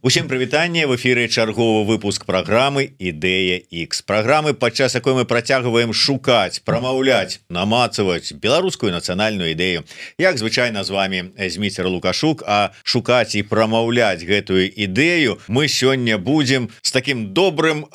Усім прывітанне, в эфіры чарговы выпуск праграмы Ідэя X. Праграмы, падчас якой мы працягваем шукаць, прамаўляць, намацаваць беларускую нацыянальную ідэю. Як звычайна з вами Зміцер Лукашук, а шукаць і прамаўляць гэтую ідэю мы сёння будзем з такім добрым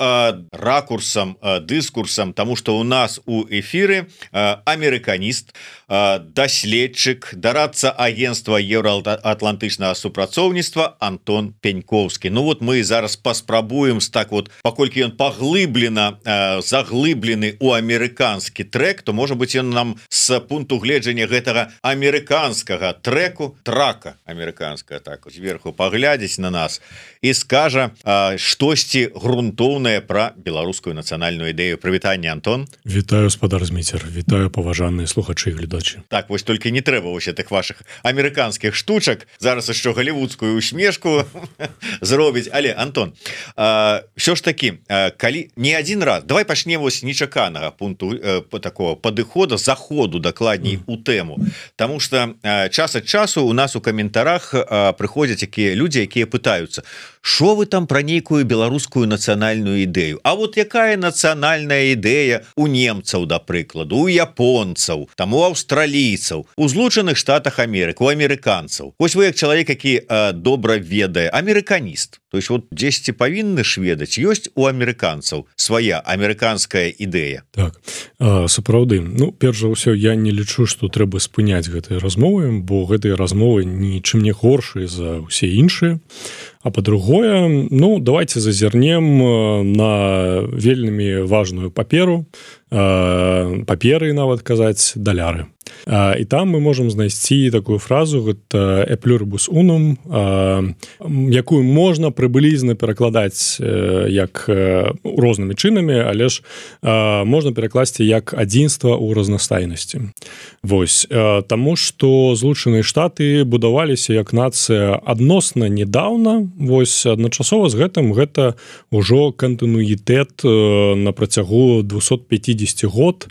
ракурсам, дыскурсам, таму што ў нас у эфіры амерыканіст, даследчык, дарадца агентства еўраатлантычнага супрацоўніцтва Антон Пенько. Ну вот мы зараз паспрабуем так вот, паколькі ён паглыблена заглыблены у амерыканскі трек, то можа быть ён нам с пункту гледжання гэтага амерыканскага трака амерыканская так зверху паглядзець на нас і скажа штосьці грунтоўнае пра беларускую нацыянальную ідэю. Прывітанне, Антон. Вітаю, спадар Зміцер, вітаю паважаныя слухачы і гледачы. Так, вось толькі не трэба вось гэтых ваших амерыканскіх штучак, зараз яшчэ галівудскую усмешку зробіць. Але, Антон, все ж таки, калі не один раз, давай пачнем вось нечаканага пункту такого падыхода, заходу дакладней у тэму, тому что час ад часу у нас у каментарах прыходзяць якія людзі, якія пытаюцца, шо вы там пра нейкую беларускую нацыянальную ідэю, а вот якая нацыянальная ідэя у немцаў, да прыкладу, у японцаў, там у аўстралійцаў, у Злучаных Штатах Амерыкі, у амерыканцаў. Вось вы як чалавек, які добра ведае, амерыканіст, то есть вот дзесьці павінны ж ведаць, ёсць у амерыканцаў свая амерыканская ідэя. Так, сапраўды, ну, перш за ўсё, я не лічу, што трэба спыняць гэтыя размовы, бо гэтыя размовы нічым не горшыя за ўсе іншыя. А по-другое, ну, давайте зазірнем на вельмі важную паперу, паперы, нават казаць, даляры. І там мы можам знайсці такую фразу, гэта «e pluribus unum», якую можна прыблізна перакладаць як рознымі чынамі, але ж можна перакласці як адзінства ў разнастайнасці. Вось, таму што Злучаныя Штаты будаваліся як нацыя адносна недаўна, вось адначасова з гэтым гэта ўжо кантынуітэт на працягу 250 год.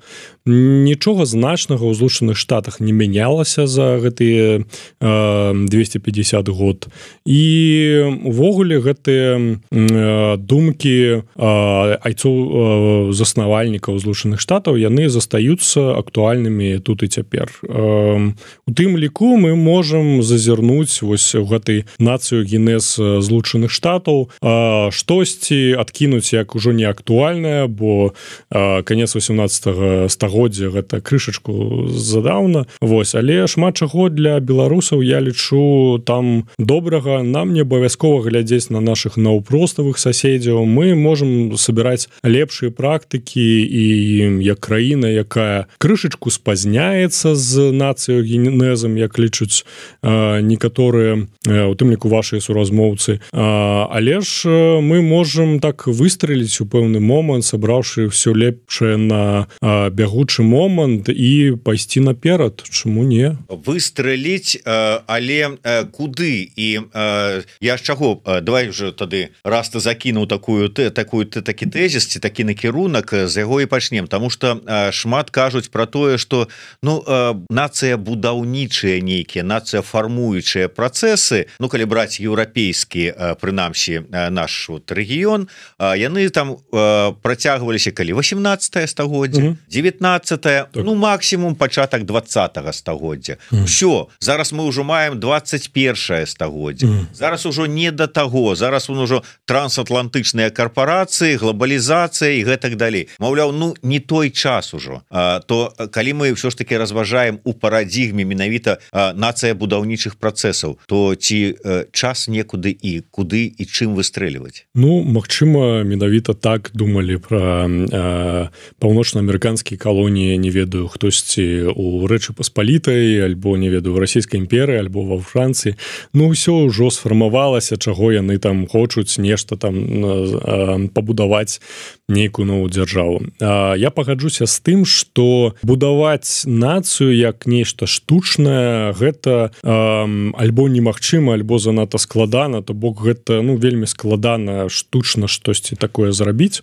Нічога значнага ў Злучаных Штатах не мянялася за гэтыя 250 год. І увогуле гэтыя думкі айцоў заснавальнікаў Злучаных Штатаў, яны застаюцца актуальнымі тут і цяпер. У тым ліку мы можам зазірнуць вось у гэтай нацыю генез Злучаных Штатаў, штосьці адкінуць як ужо не актуальнае, бо канец 18 стагоддзя гэта крышачку задаўна. Вось, але шмат чаго для беларусаў, я лічу, там добрага. Нам не абавязкова глядзець на нашых наўпроставых суседзяў. Мы можам сабіраць лепшыя практыкі і як краіна, якая крышачку спазняецца з нацыяй генезам, як лічуць некаторыя, у тым ліку вашыя суразмоўцы. Але ж мы можам так выстрэліць у пэўны момант, сабраўшы ўсё лепшае на бягучы момант і пайсці наперад. Чаму не? Выстрэліць, але куды? І я з чаго? Давай уже тады, раз ты закінуў такі тэзіс, ці такі накірунак, з яго і пачнем. Таму што шмат кажуць пра тое, што нацыя будаўнічыя нейкія, нацыя фармуючыя працэсы, ну, калі браць еўрапейскі, прынамсі, наш рэгіён, яны там працягваліся калі 18 стагоддзя, 19-е, ну, максимум пачатак 20-го стагоддзя. Всё, зараз мы ўжо маем 21-е стагоддзя. Зараз ужо не да таго, зараз ужо трансатлантычныя карпорацыі, глобалізацыя і гэтак далей. Маўляў, ну, не той час ужо. То калі мы ўсё ж таки разважаем у парадзігме менавіта нацыя будаўнічых працэсаў, то ці час некуды і куды і чым выстрэльваць? Ну, магчыма, менавіта так думалі пра паўночнаамерыканскія калоніі, не ведаю, хтосьці у Рэчы Паспалітай, альбо, не ведаю, в расійскай імперыі, альбо ва Францыі. Ну, ўсё ўжо сфармавалася, чаго яны там хочуць нешта там пабудаваць нейкую новую дзяржаву. Я пагаджуся з тым, што будаваць нацыю як нешта штучнае, гэта альбо немагчыма, альбо занадта складана, то бок гэта, ну, вельмі складана штучна штосьці такое зрабіць.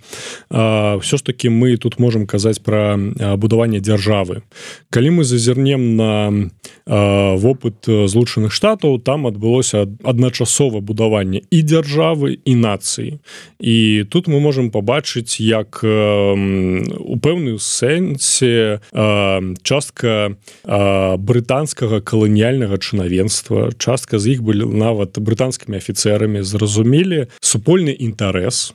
Всё ж таки мы тут можам казаць пра будавання дзяржавы. Калі мы зазірнем на вопыт Злучаных Штатаў, там адбылося адначасова будаванне і дзяржавы, і нацыі. І тут мы можам пабачыць, як у пэўным сэнсе частка брытанскага каланіяльнага чынавенства, частка з іх былі нават брытанскімі афіцэрамі, зразумелі супольны інтарэс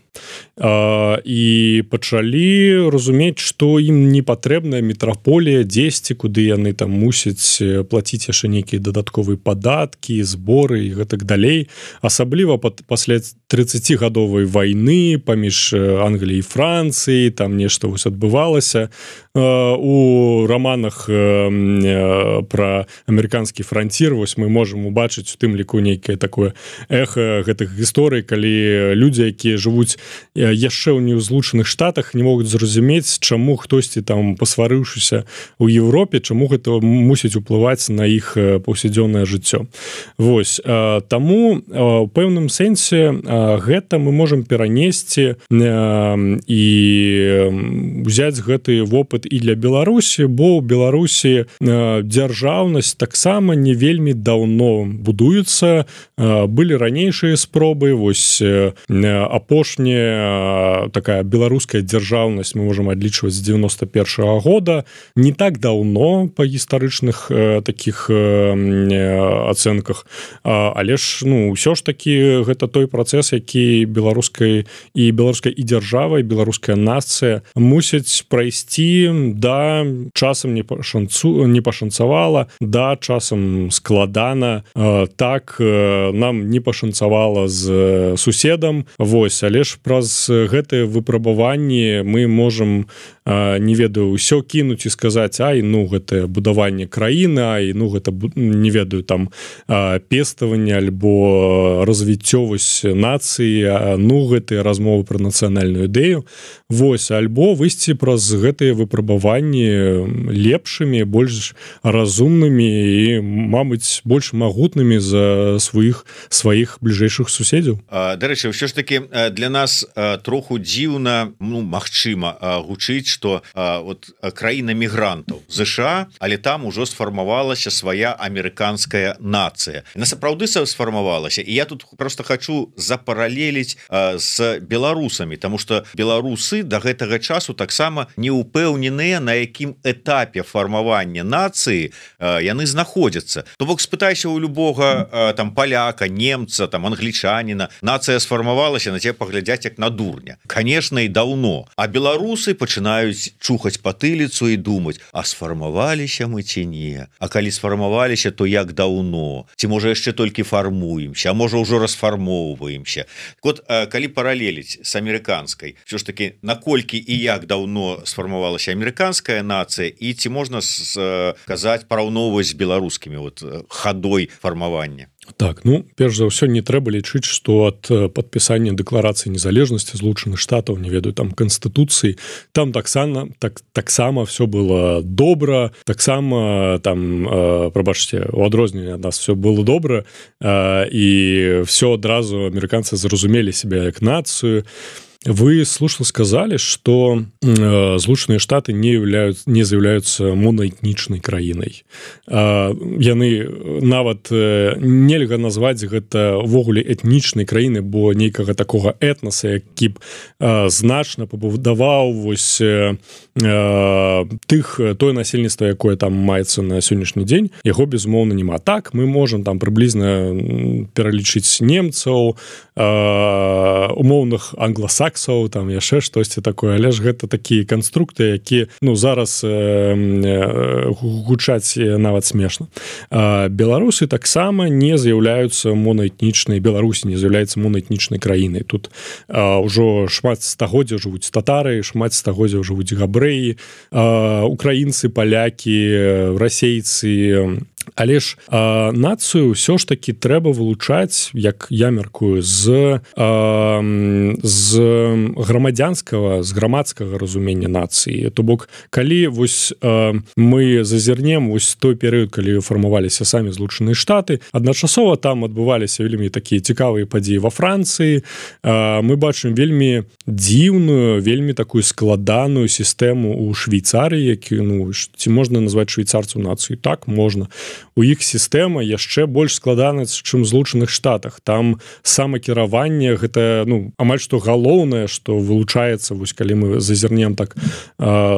і пачалі разумець, што ім не патрэбная метраполія дзесьці, куды яны там мусяць плаціць яшчэ нейкія дадатковыя падаткі, зборы і гэтак далей. Асабліва пасля 30гадовай вайны паміж Англіяй і Францыяй, там нешта вось адбывалася. У раманах пра амерыканскі францір вось мы можам убачыць у тым ліку нейкае такое эха гэтых гісторый, калі людзі, якія жывуць яшчэ ў Злучаных Штатах, не могуць зразумець, чаму хтосьці там пасварыўшыся ў Еўропе, чаму гэта мусіць уплываць на іх паўсядзённае жыццё. Вось, таму у пэўным сэнсе гэта мы можам перанесці і ўзяць гэты вопыт і для Беларусі, бо ў Беларусі дзяржаўнасць таксама не вельмі даўно будуецца. Былі ранейшыя спробы, вось апошняя такая беларуская дзяржаўнасць мы можам адлічваць з 91-го года, не так даўно па гістарычных такіх ацэнках, але ж ўсё ж такі гэта той працэс, які беларускай і дзяржава, і беларуская нацыя мусяць прайсці. Да, часам не пашанцавала, да, часам складана, так, нам не пашанцавала з суседам, вось, але ж праз гэтыя выпрабаванні мы можам, не ведаю, ўсё кінуць і сказаць, ай, гэтае будаванне краіны, ай, гэта, не ведаю, там, пеставанне альбо развіццё вось нацыі, гэтыя размовы пра нацыянальную ідэю, вось, альбо выйсці праз гэтыя выпрабаванні лепшымі, больш разумнымі і, мабыць, больш магутнымі за сваіх бліжэйшых суседзяў. Дарэчы, ўсё ж таки для нас троху дзіўна, магчыма, гучыць, што краіна мігрантаў ЗША, але там ужо сфармавалася свая амерыканская нацыя. На сапраўды сфармавалася, і я тут просто хочу запаралеліць з беларусамі, таму што беларусы да гэтага часу таксама не ўпэўненыя, на якім этапе фармавання нацыі яны знаходзяцца. То бок спытайся у любога там паляка, немца, там англічаніна, нацыя сфармавалася, на цябе паглядзяць як на дурня. Конечно, і даўно. А беларусы пачынаюць чухаць патыліцу і думаць, а сфармаваліся мы ці не? А калі сфармаваліся, то як даўно? Ці можа яшчэ толькі фармуемся, а можа ўжо расфармоўваемся? Вот калі паралеліць з амерыканскай, ўсё ж таки, наколькі і як даўно сфармавалася амерыканская нацыя, і ці можна сказаць, параўноўваць з беларускімі хадой фармавання? Так, перш за ўсё не трэба лічыць, што ад падпісання дэкларацыі незалежнасці Злучаных Штатаў, не ведаю, там канстытуцыі, там таксама все было добра, таксама там, прабачце, у адрозненне ад нас все было добра, і все адразу амерыканцы зразумелі сябе як нацыю. Вы слушно сказали, что Злучаныя Штаты не з'яўляюцца монаэтнічнай краінай. Яны нават нельга назваць гэта ўвогуле этнічнай краіны, бо нейкага такога этнаса, які б значна пабудаваў вось тое насельніцтва, якое там маецца на сённяшні дзень, яго безумоўна няма. Так, мы можам там прыблізна пералічыць немцаў, умоўных англасаксаў, там яшчэ штосьці такое, але ж гэта такія канструкты, які зараз гучаць нават смешна. Беларусы таксама не з'яўляюцца монаэтнічнай, Беларусь не з'яўляецца монаэтнічнай краінай. Тут ўжо шмат стагоддзяў жывуць татары, шмат стагоддзяў жывуць габрэі, украінцы, палякі, расейцы, Але ж нацыю ўсё ж таки трэба вылучаць, як я мяркую, з грамадзянскага, з грамадскага разумення нацыі. То бок, калі вось мы зазірнем вось той перыяд, калі фармаваліся самі Злучаныя Штаты, адначасова там адбываліся вельмі такія цікавыя падзеі ва Францыі. Мы бачым вельмі дзіўную, вельмі такую складаную сістэму ў Швейцарыі, які, ну, ці можна назваць швейцарцаў нацыю? Так, можна. У іх сістэма яшчэ больш складаная, чым в Злучаных Штатах. Там самакіраванне, гэта, ну, амаль што галоўнае, што вылучаецца, вось калі мы зазірнем так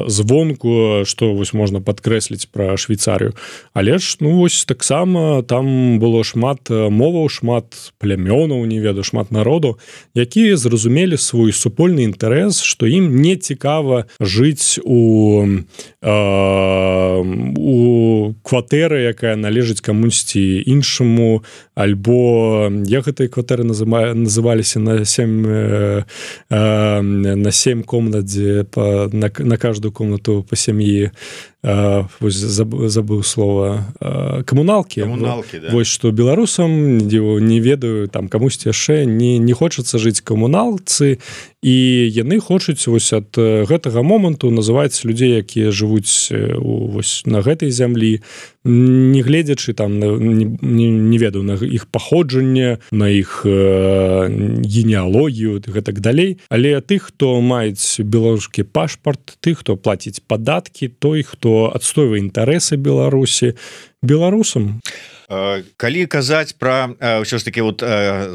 звонку, што вось можна падкрэсліць пра Швейцарыю. Але ж, ну, вось таксама там было шмат моваў, шмат плямёнаў, не ведаю, шмат народу, якія зразумелі свой супольны інтарэс, што ім не цікава жыць у кватэры, якая належыць камусьці іншаму, альбо як гэтыя кватэры называліся на 7 комнат, дзе на каждую комнату по сям'і, забыў слова, камуналкі, да. Вось што беларусам, не ведаю, там камусьці яшчэ не хочацца жыць камуналцы, і яны хочуць вось ад гэтага моманту называць людзей, якія жывуць вось на гэтай зямлі, не гледзячы там, не ведаю, на іх паходжанне, на іх генеалогію, гэтак далей. Але тых, хто маюць беларускі пашпарт, тых, хто плаціць падаткі, той, хто адстойвае інтарэсы Беларусі, беларусам. Калі казаць пра ўсё ж таки вот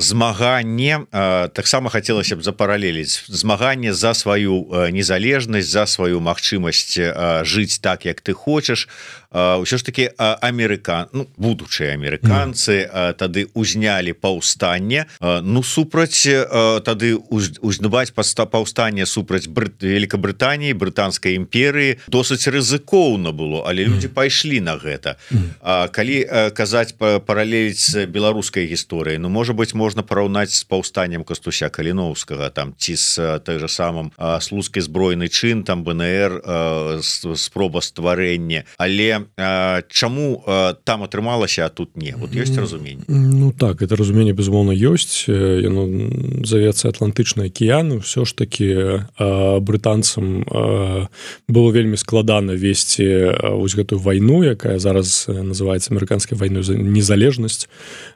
змаганне, таксама хацелася б запаралеліць змаганне за сваю незалежнасць, за сваю магчымасць жыць так, як ты хочаш. Ўсё ж таки будучыя амерыканцы тады узнялі паўстанне, ну супраць тады узнаваць паўстанне супраць Великабрытаніі, брытанскай імперыі досыць рызыкоўна было, але людзі пайшлі на гэта. Калі казаць паралеліць з беларускай гісторыяй, ну можа быць можна параўнаць з паўстаннем Кастуся Каліноўскага, там ці з той же самым слуцкі збройны чын, там БНР, спроба стварэння, але чаму там атрымалася, а тут не? Вот ёсць разуменне? Ну так, это разуменне безумоўна ёсць, яно завецца Атлантычны акіян, ўсё ж таки брытанцам было вельмі складана весці вось гэтую вайну, якая зараз называецца амерыканскай вайной за незалежнасць,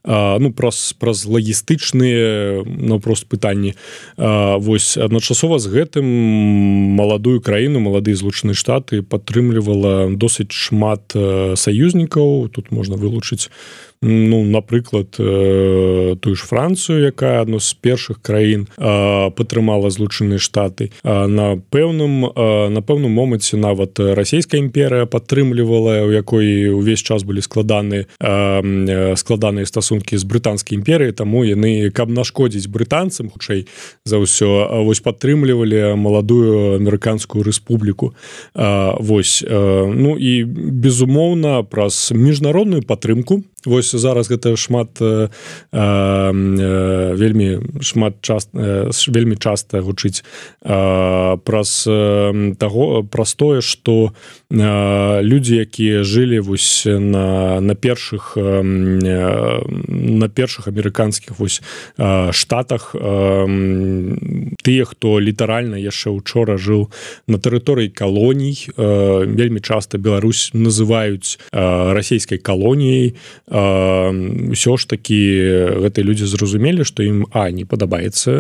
ну праз лагістычныя наўпрост пытанні. Вось адначасова з гэтым маладую краіну, маладыя Злучаныя Штаты падтрымлівала досыць шмат саюзнікаў. Тут можна вылучыць, ну, напрыклад, тую ж Францыю, якая адно з першых краін падтрымала Злучаныя Штаты. На пэўным моманце нават расійская імперыя падтрымлівала, у якой увесь час былі складаныя стасункі з брытанскай імперыяй, таму яны, каб нашкодзіць брытанцам, хутчэй за ўсё, вось падтрымлівалі маладую амерыканскую рэспубліку. Вось, ну і безумоўна праз міжнародную падтрымку. Вось зараз гэта вельмі часта гучыць праз тое, што людзі, якія жылі вось на першых амерыканскіх вось штатах, тыя, хто літаральна яшчэ учора жыў на тэрыторыі калоній, вельмі часта Беларусь называюць расійскай калоніяй. Усё ж такі гэтыя людзі зразумелі, што ім не падабаецца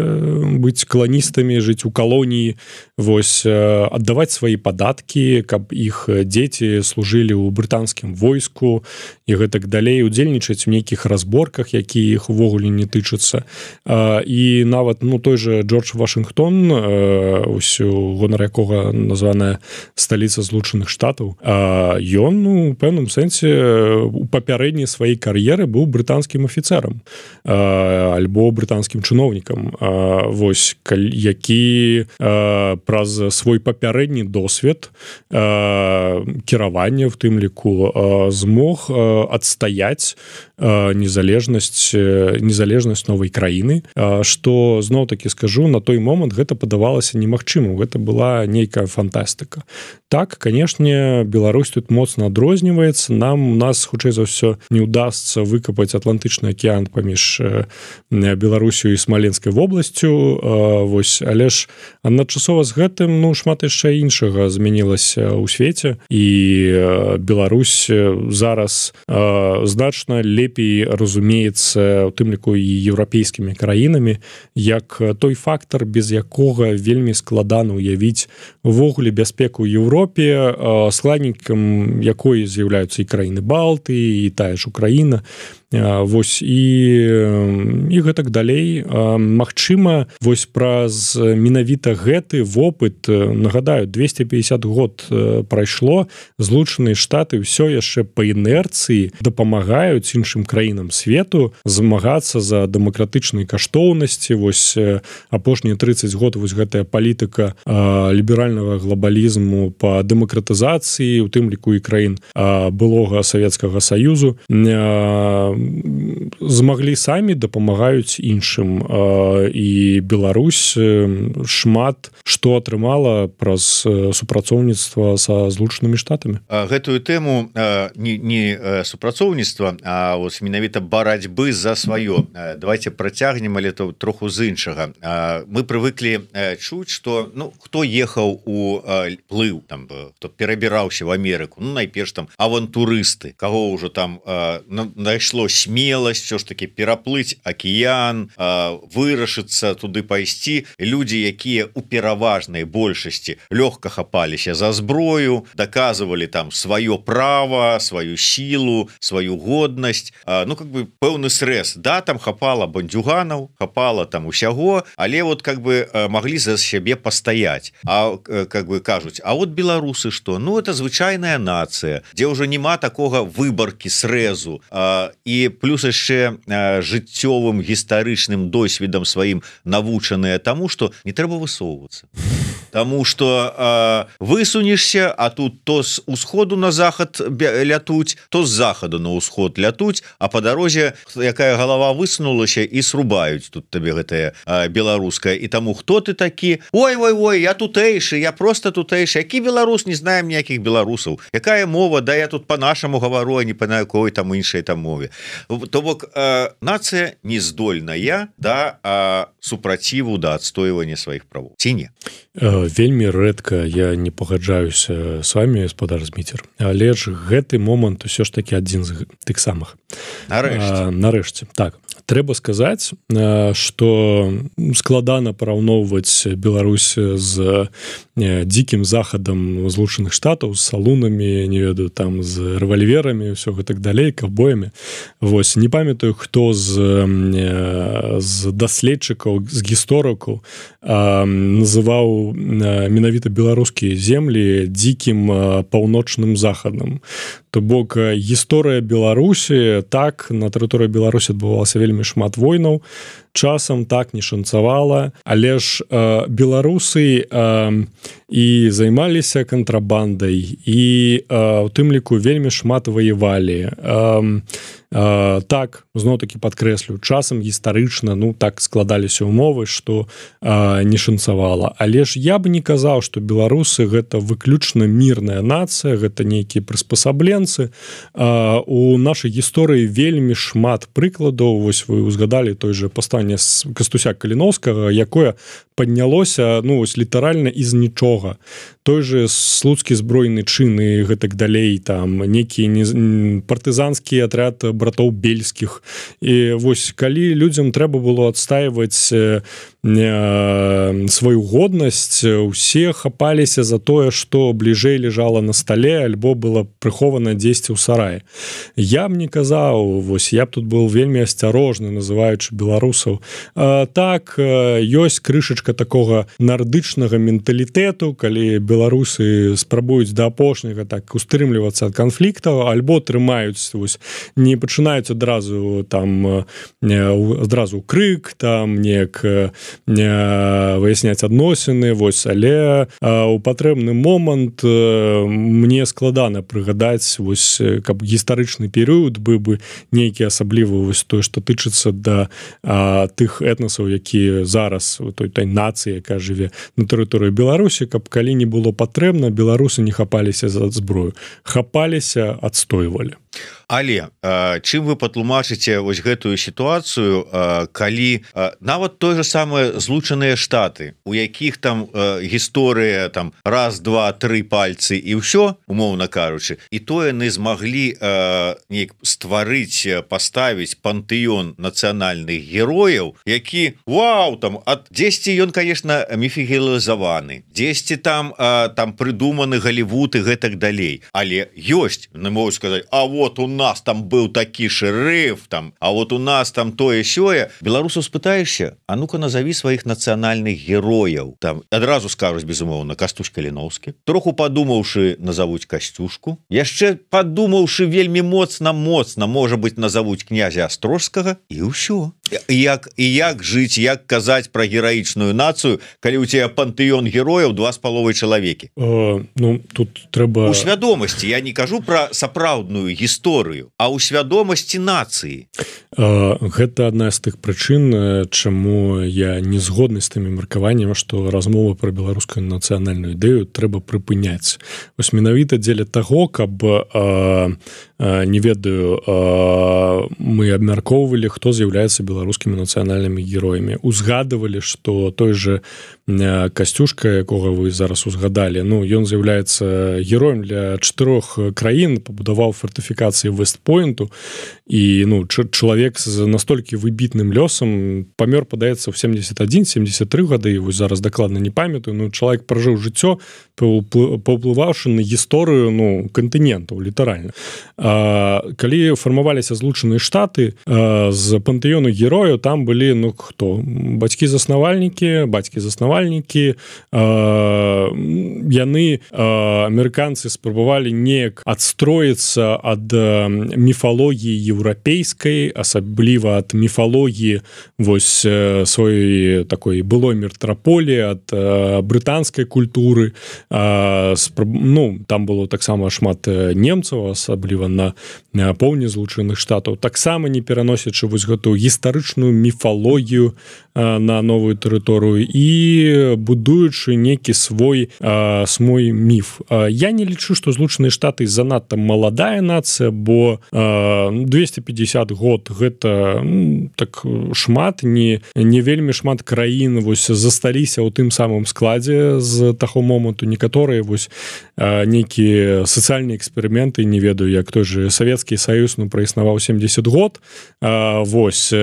быць каланістамі, жыць у калоніі, вось аддаваць свае падаткі, каб іх дзеці служылі ў брытанскім войску і гэтак далей, удзельнічаць у нейкіх разборках, якія іх увогуле не тычацца. І нават той же Джордж Вашынгтон, у гонар якога названая сталіца Злучаных Штатаў, ён у пэўным сэнсе у папярэднія сваёй кар'еры быў брытанскім афіцэрам альбо брытанскім чыноўнікам вось які праз свой папярэдні досвед кіравання в тым ліку змог адстаяць незалежнасць новай краіны, што зноў-такі скажу, на той момант гэта падавалася немагчымым, гэта была нейкая фантастыка. Так, канешне, Беларусь тут моцна адрозніваецца, у нас хутчэй за ўсё не ўдасца выкапаць Атлантычны акіян паміж Беларусю і Смаленскай вобласцю, вось, але ж адначасова з гэтым шмат яшчэ іншага змянілася ў свеце, і Беларусь зараз значна лепей разумеецца, у тым ліку і еўрапейскімі краінамі, як той фактар, без якога вельмі складана ўявіць увогуле бяспеку Еўропе, складнікам якой з'яўляюцца і краіны Балты, і тая ж Украіна. Вось і гэтак далей. Магчыма, вось праз менавіта гэты вопыт, нагадаю, 250 год прайшло, Злучаныя Штаты ўсё яшчэ па інерцыі дапамагаюць іншым краінам свету змагацца за дэмакратычныя каштоўнасці. Вось апошнія 30 год вось гэтая палітыка ліберальнага глобалізму па дэмакратызацыі, у тым ліку і краін былога Савецкага Саюзу, змаглі самі, дапамагаюць іншым, і Беларусь шмат што атрымала праз супрацоўніцтва са Злучанымі Штатамі. Гэтую тэму не супрацоўніцтва, а вось менавіта барацьбы за сваё давайте працягнем, але то троху з іншага. Мы прывыклі чуць, што хто ехаў у плыў, там хто перабіраўся в Амерыку, найперш там авантурысты, каго ўжо там найшло смеласць все ж таки пераплыць акіян, вырашыцца туды пайсці. Людзі, якія у пераважнай большасці лёгка хапаліся за зброю, даказывалі там сваё права, сваю сілу, сваю годнасць, как бы пэўны срэз. Да, там хапала бандюганаў, хапала там усяго, але вот как бы маглі за сябе пастаяць. А как бы кажуць, а вот беларусы што? Это звычайная нацыя, дзе ўжо няма такога выбаркі срэзу, і плюс яшчэ жыццёвым гістарычным досведам сваім навучаныя таму, што не трэба высоўвацца. Таму што высунешся, а тут то з усходу на захад лятуць, то з захаду на ўсход лятуць, а па дарозе якая галава высунулася і срубаюць тут табе гэтая беларуская. І таму хто ты такі? Ой, я тутэйшы, я просто тутэйшы. Які беларус, не знаем ніякіх беларусаў. Якая мова? Да я тут па-нашаму гавару, а не па на якой там іншай там мове. То бок нацыя не здольная да супраціву, да адстойвання сваіх правоў. Ці не? Вельмі рэдка я не пагаджаюся з вами, гаспадар Зміцер, але ж гэты момант усё ж таки адзін з тых самых. Нарэшце, так. Трэба сказаць, што складана параўноўваць Беларусь з дзікім захадам Злучаных Штатаў, з салунамі, не ведаю, там з рэвальверамі, ўсё гэтак далей, каўбоямі. Вось, не памятаю, хто з даследчыкаў, з гісторыкаў называў менавіта беларускія землі дзікім паўночным захадам. То бок гісторыя Беларусі, так, на тэрыторыі Беларусі адбывалася вельмі шмат войнаў, часам так не шанцавала, але ж беларусы і займаліся кантрабандай, і у тым ліку вельмі шмат ваявалі. Так, зноў-такі падкрэслю, часам гістарычна, так складаліся ўмовы, што не шанцавала. Але ж я бы не казаў, што беларусы гэта выключна мірная нацыя, гэта нейкія прыспасабленцы. У нашай гісторыі вельмі шмат прыкладаў, вось вы узгадалі той же паўстанне Кастуся Каліноўскага, якое паднялося, вось літаральна з нічога. Той же слуцкі збройны чын і гэтак далей, там некі партызанскі атряд братоў бельскіх. І вось калі людзям трэба было адстаиваць сваю годнасць, усе хапаліся за тое, што бліжэй лежала на стале альбо было прыхована дзесьці ў сараі. Я б не казаў, вось я б тут был вельмі асцярожны, называючы беларусаў. Так, ёсць крышачка такога нардычнага менталітэту, калі беларусы спрабуюць да апошняга так устрымлівацца ад канфліктаў, альбо трымаюць, вось, не пачынаюць адразу там адразу крык, там неяк выясняць адносіны, вось, але у патрэбны момант мне складана прыгадаць, вось, каб гістарычны перыяд быў бы нейкі асаблівы, вось тое, што тычыцца да тых этнасаў, якія зараз у той нацыі, якая жыве на тэрыторыі Беларусі, каб калі не было патрэбна, беларусы не хапаліся за зброю, хапаліся, адстойвалі. Але чым вы патлумачыце вось гэтую сітуацыю, калі нават той же самыя Злучаныя Штаты, у якіх там гісторыя там раз, два, тры пальцы і ўсё, умоўна кажучы, і то яны змаглі неяк стварыць, паставіць пантэён нацыянальных герояў, які вау, там дзесьці ён, конечно, міфігелізаваны, дзесьці там прыдуманы Галівуд і гэтак далей, але ёсць, не могу сказаць, а вот у нас там быў такі шэрыф, там, а вот у нас там тое-сёе. Беларусаў спытаешся, а ну-ка назаві сваіх нацыянальных герояў. Там адразу скажуць, безумоўна, Кастусь Каліноўскі. Троху падумаўшы, назавуць Касцюшку. Яшчэ падумаўшы вельмі моцна, можа быць, назавуць князя Астрожскага, і ўсё. І як жыць, як казаць пра гераічную нацыю, калі ў цябе пантэён герояў 2,5 чалавекі? Ну, тут трэба... У свядомасці, я не кажу пра сапраўдную гісторыю, а ў свядомасці нацыі. Гэта адна з тых прычын, чаму я не згодны з тымі меркаваннямі, што размова пра беларускую нацыянальную ідэю трэба прыпыняць. Вось менавіта дзеля таго, каб не ведаю, мы абмяркоўвалі, хто з'яўляецца беларускімі нацыянальнымі героямі. Узгадывалі, што той же Касцюшка, якога вы зараз узгадалі, ну, ён з'яўляецца героем для 4 краін, пабудаваў фортыфікацыі Вестпойнту, і ну, чалавек з настолькі выбітным лёсам памёр, падаецца, ў 71-73 гады, вось зараз дакладна не памятаю, ну, чалавек пражыў жыццё, паўплываўшы на гісторыю, ну, кантынентаў, літаральна. Калі фармаваліся Злучаныя Штаты, з пантэёну герояў там былі, ну, хто? Бацькі-заснавальнікі, яны, амерыканцы, спрабавалі неяк адстроіцца ад міфалогіі еўрапейскай, асабліва ад міфалогіі вось сваёй такой былой метраполіі, ад брытанскай культуры. Ну, там было таксама шмат немцаў, асабліва на поўдні Злучаных Штатаў, таксама не пераносячы вось гэтую гістарычную міфалогію на новую тэрыторыю і будуючы нейкі свой міф. Я не лічу, што Злучаныя Штаты занадта маладая нацыя, бо 250 год гэта так шмат, не вельмі шмат краін вось засталіся ў тым самым складзе з таго моманту. Некаторыя вось нейкія сацыяльныя эксперыменты, не ведаю, як той же Савецкі Саюз, ну, праіснаваў 70 год, вось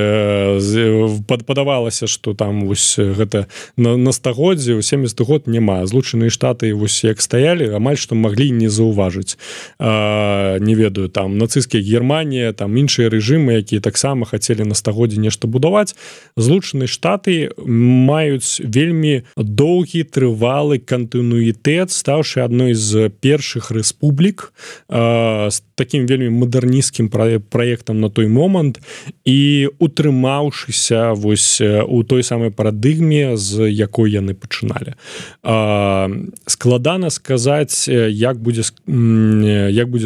падавалася, што там вось гэта на стагоддзе, у 70 год няма. Злучаныя Штаты вось як стаялі, амаль што маглі не заўважыць. Не ведаю, там нацысцкая Германія, там іншыя рэжымы, якія таксама хацелі на стагоддзе нешта будаваць. Злучаныя Штаты маюць вельмі доўгі, трывалы кантынуітэт, стаўшы адной з першых рэспублік з такім вельмі мадэрнісцкім праектам на той момант і утрымаўшыся вось у той самай парадыгме, з якой яны пачыналі. Складана сказаць, як будзе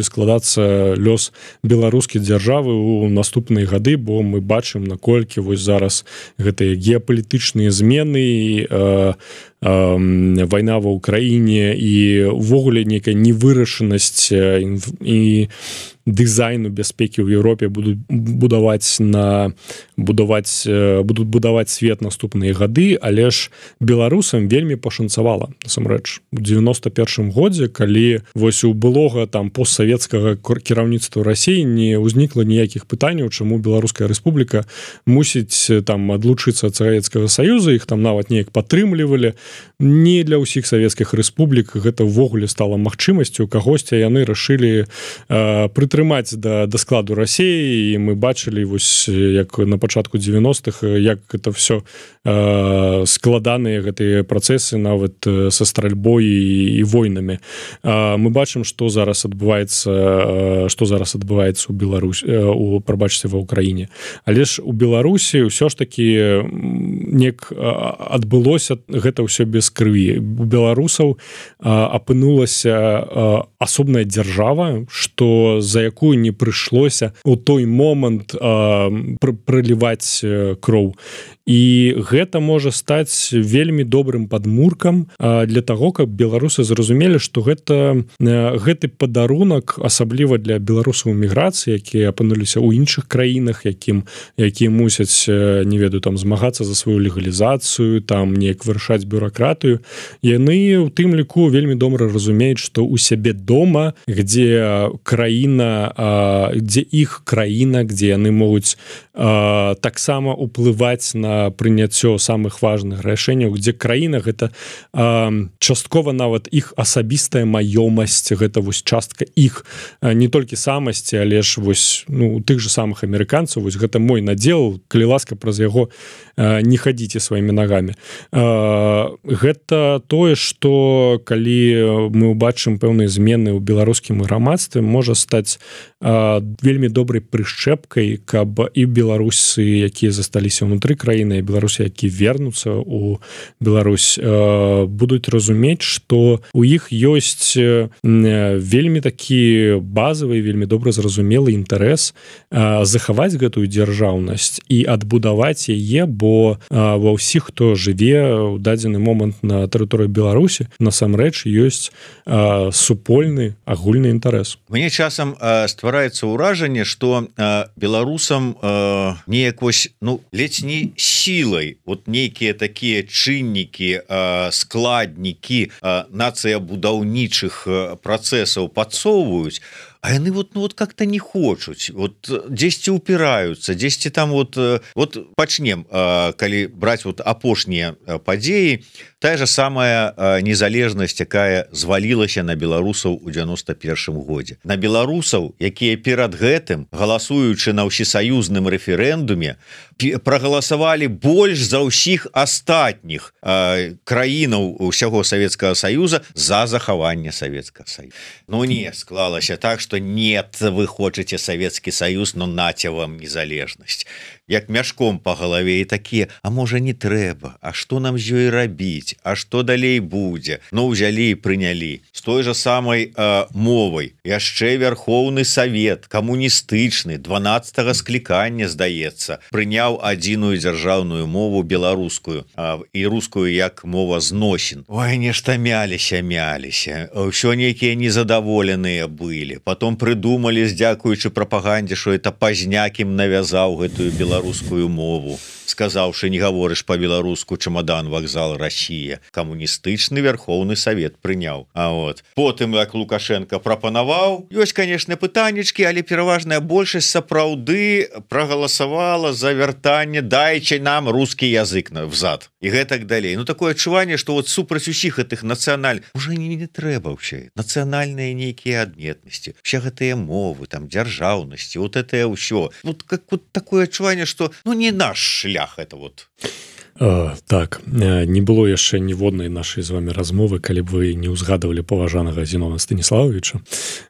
складацца лёс беларускай дзяржавы ў наступныя гады, бо мы бачым, наколькі вось зараз гэтыя геапалітычныя змены вайна ва ўкраіне і ўвогуле нейкая невырашанасць і дызайну бяспекі ў Еўропе будуць будаваць свет наступныя гады, але ж беларусам вельмі пашанцавала насамрэч у 91 годзе, калі вось у былога там постсавецкага кіраўніцтва Расіі не ўзнікла ніякіх пытанняў, чаму Беларуская Рэспубліка мусіць там адлучыцца ад Савецкага Саюза, іх там нават неяк падтрымлівалі. Не для ўсіх савецкіх рэспублік гэта ўвогуле стала магчымасцю, кагосьці яны рашылі прытрымаць да складу Расіі, і мы бачылі вось як на пачатку 90-х, як гэта все складаныя гэтыя працэсы нават са стральбой і войнамі. Мы бачым, што зараз адбываецца у Беларусі, прабачце, ва ўкраіне. Але ж у Беларусі ўсё ж такі неяк адбылося гэта ўсё без крыві. У беларусаў апынулася асобная дзяржава, што за якую не прыйшлося у той момант праліваць кроў. І гэта можа стаць вельмі добрым падмуркам для таго, каб беларусы зразумелі, што гэты падарунак, асабліва для беларусаў эміграцыі, якія апынуліся ў іншых краінах, якія мусяць, не ведаю, там змагацца за сваю легалізацыю, там неяк вырашаць бюракратыю, яны у тым ліку вельмі добра разумеюць, што у сябе дома, дзе іх краіна, дзе яны могуць таксама ўплываць на прыняццё самых важных рашэнняў, дзе краіна гэта часткова нават іх асабістая маёмасць, гэта вось частка іх не толькі самасці, але ж вось у тых же самых амерыканцаў, вось гэта мой надзел, калі ласка, праз яго не хадзіце сваімі нагамі. Гэта тое, што калі мы ўбачым пэўныя змены ў беларускім грамадстве, можа стаць вельмі добрай прышчэпкай, каб і беларусы, якія засталіся ўнутры краіны, і беларусы, які вернуцца ў Беларусь, будуць разумець, што у іх ёсць вельмі такі базавы, вельмі добра зразумелы інтарэс захаваць гэтую дзяржаўнасць і адбудаваць яе, бо ва ўсіх, хто жыве ў дадзены момант на тэрыторыі Беларусі, насамрэч ёсць супольны агульны інтарэс. Мне часам ствараецца ўражанне, што беларусам неяк вось, ледзь не сілай вот нейкія такія чыннікі, складнікі нацыябудаўнічых працэсаў падсоўваюць, а яны вот как-то не хочуць, вот дзесьці упіраюцца, дзесьці там вот пачнем, калі браць вот апошнія падзеі, тая же самая незалежнасць, якая звалілася на беларусаў у 91 годзе. На беларусаў, якія перад гэтым, галасуючы на ўсесаюзным рэферэндуме, прагаласавалі больш за ўсіх астатніх краінаў усяго Савецкага Саюза за захаванне Савецкага Саюза. Не склалася так, што нет, вы хочаце Савецкі Саюз, но наце вам незалежнасць. Як мяшком па галаве, і такія, а можа не трэба, а што нам з ёй рабіць, а што далей будзе? Узялі і прынялі. З той жа самай мовай. Яшчэ Верхоўны Савет, камуністычны, 12-го склікання, здаецца, прыняў адзіную дзяржаўную мову беларускую і рускую як мова зносін. Ой, нешта мяліся, ўсё нейкія незадаволеныя былі. Потом прыдумалі, здзякуючы прапагандзе, што это Пазняк ім навязаў гэтую беларускую мову, сказаўшы, не гаворыш па-беларуску, чамадан, вакзал, Расія. Камуністычны Верхоўны Савет прыняў. Потым, як Лукашенко прапанаваў, ёсць, канешне, пытаннічкі, але пераважная большасць сапраўды прагаласавала за вяртанне, дайце нам рускі язык взад. І гэтак далей. Такое адчуванне, што вот супраць усіх гэтых уже не трэба ўсё. Нацыянальныя нейкія адметнасці, усе гэтыя мовы, там, дзяржаўнасці, вот это ўсё. Такое адчуванне, што не наш шлях это вот. Так, не было яшчэ ніводнай нашай з вами размовы, калі б вы не ўзгадывалі паважанага Зінона Станіславовича.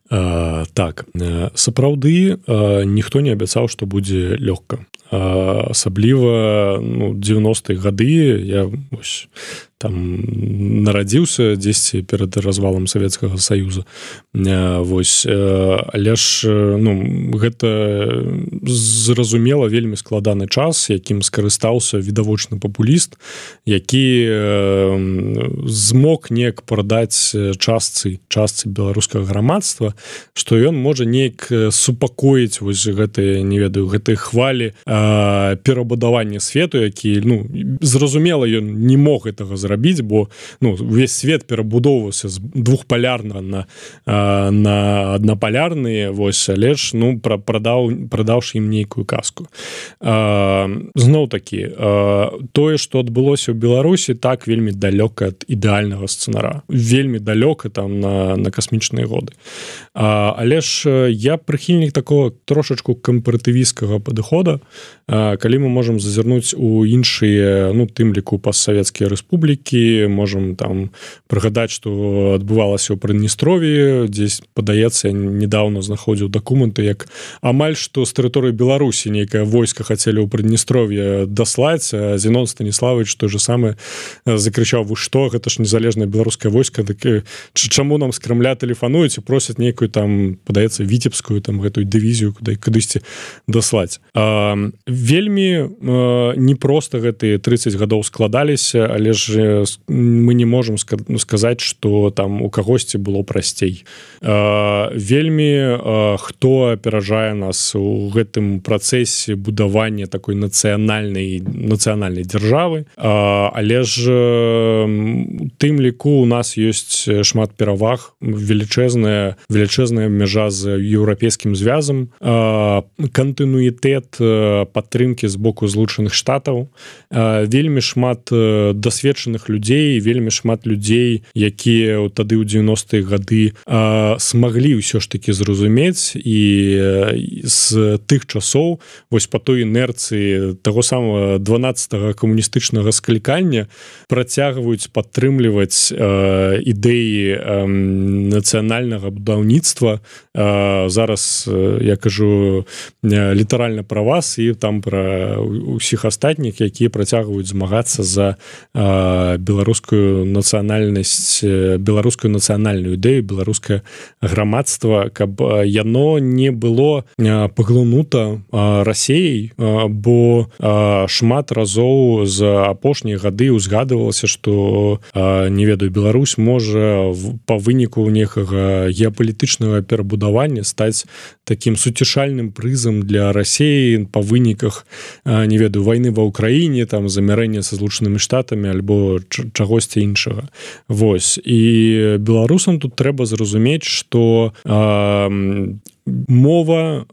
Так, сапраўды ніхто не абяцаў, што будзе лёгка. Асабліва 90-е гады, я там нарадзіўся дзесьці перад развалам Савецкага Саюза. Вось, але ж гэта зразумела вельмі складаны час, якім скарыстаўся відавочны папуліст, які змог неяк прадаць частцы беларускага грамадства, што ён можа неяк супакоіць вось гэтыя, не ведаю, гэтыя хвалі перабудавання свету, які, зразумела, ён не мог гэтага зрабіць, бо увесь свет перабудоўваўся з двухпалярнага на аднапалярныя, вось, але ж прадаўшы ім нейкую казку. Зноў такі, тое, што адбылося ў Беларусі, так вельмі далёка ад ідэальнага сцэнара, вельмі далёка там на касмічныя годы. Але ж я прыхільнік такого трошачку кампаратывісцкага падыхода, калі мы можам зазірнуць у іншыя, тым ліку постсавецкія рэспублікі, можам там прыгадаць, што адбывалася ў Прыднестров'і, дзесь, падаецца, я недавно знаходзіў дакументы, як амаль што з тэрыторыі Беларусі нейкае войска хацелі ў Прыднестров'е даслаць, а Зенон Станіславович той же самы закрычаў: вы што, гэта ж незалежнае беларускае войска, так чаму нам з Крамля тэлефануюць і просяць нейкую там, падаецца, віцебскую там гэтую дывізію кудысьці даслаць. Вельмі непроста гэтыя 30 гадоў складаліся, але ж мы не можам сказаць, што там у кагосьці было прасцей. Вельмі хто аперажае нас у гэтым працэсе будавання такой нацыянальнай дзяржавы, але ж тым ліку у нас ёсць шмат пераваг, велічэзная мяжа з еўрапейскім звязам, кантынуітэт падтрымкі з боку Злучаных Штатаў, вельмі шмат дасведчаных людзей, вельмі шмат людзей, якія тады ў 90-е гады смаглі ўсё ж такі зразумець, і з тых часоў вось па той інерцыі таго самого 12-го камуністычнага склікання працягваюць падтрымліваць ідэі нацыянальнага будаўніцтва. Зараз я кажу літаральна пра вас і там пра ўсіх астатніх, якія працягваюць змагацца за беларускую нацыянальнасць, беларускую нацыянальную ідэю, беларускае грамадства, каб яно не было паглынута Расеяй, бо шмат разоў за апошнія гады узгадывалася, што, не ведаю, Беларусь можа па выніку некага геапалітычнага перабудавання стаць такім суцішальным прызам для Расеі па выніках, не ведаю, вайны ва Ўкраіне, там замярэння са Злучанымі Штатамі альбо чагосьці іншага. Вось. І беларусам тут трэба зразумець, што мова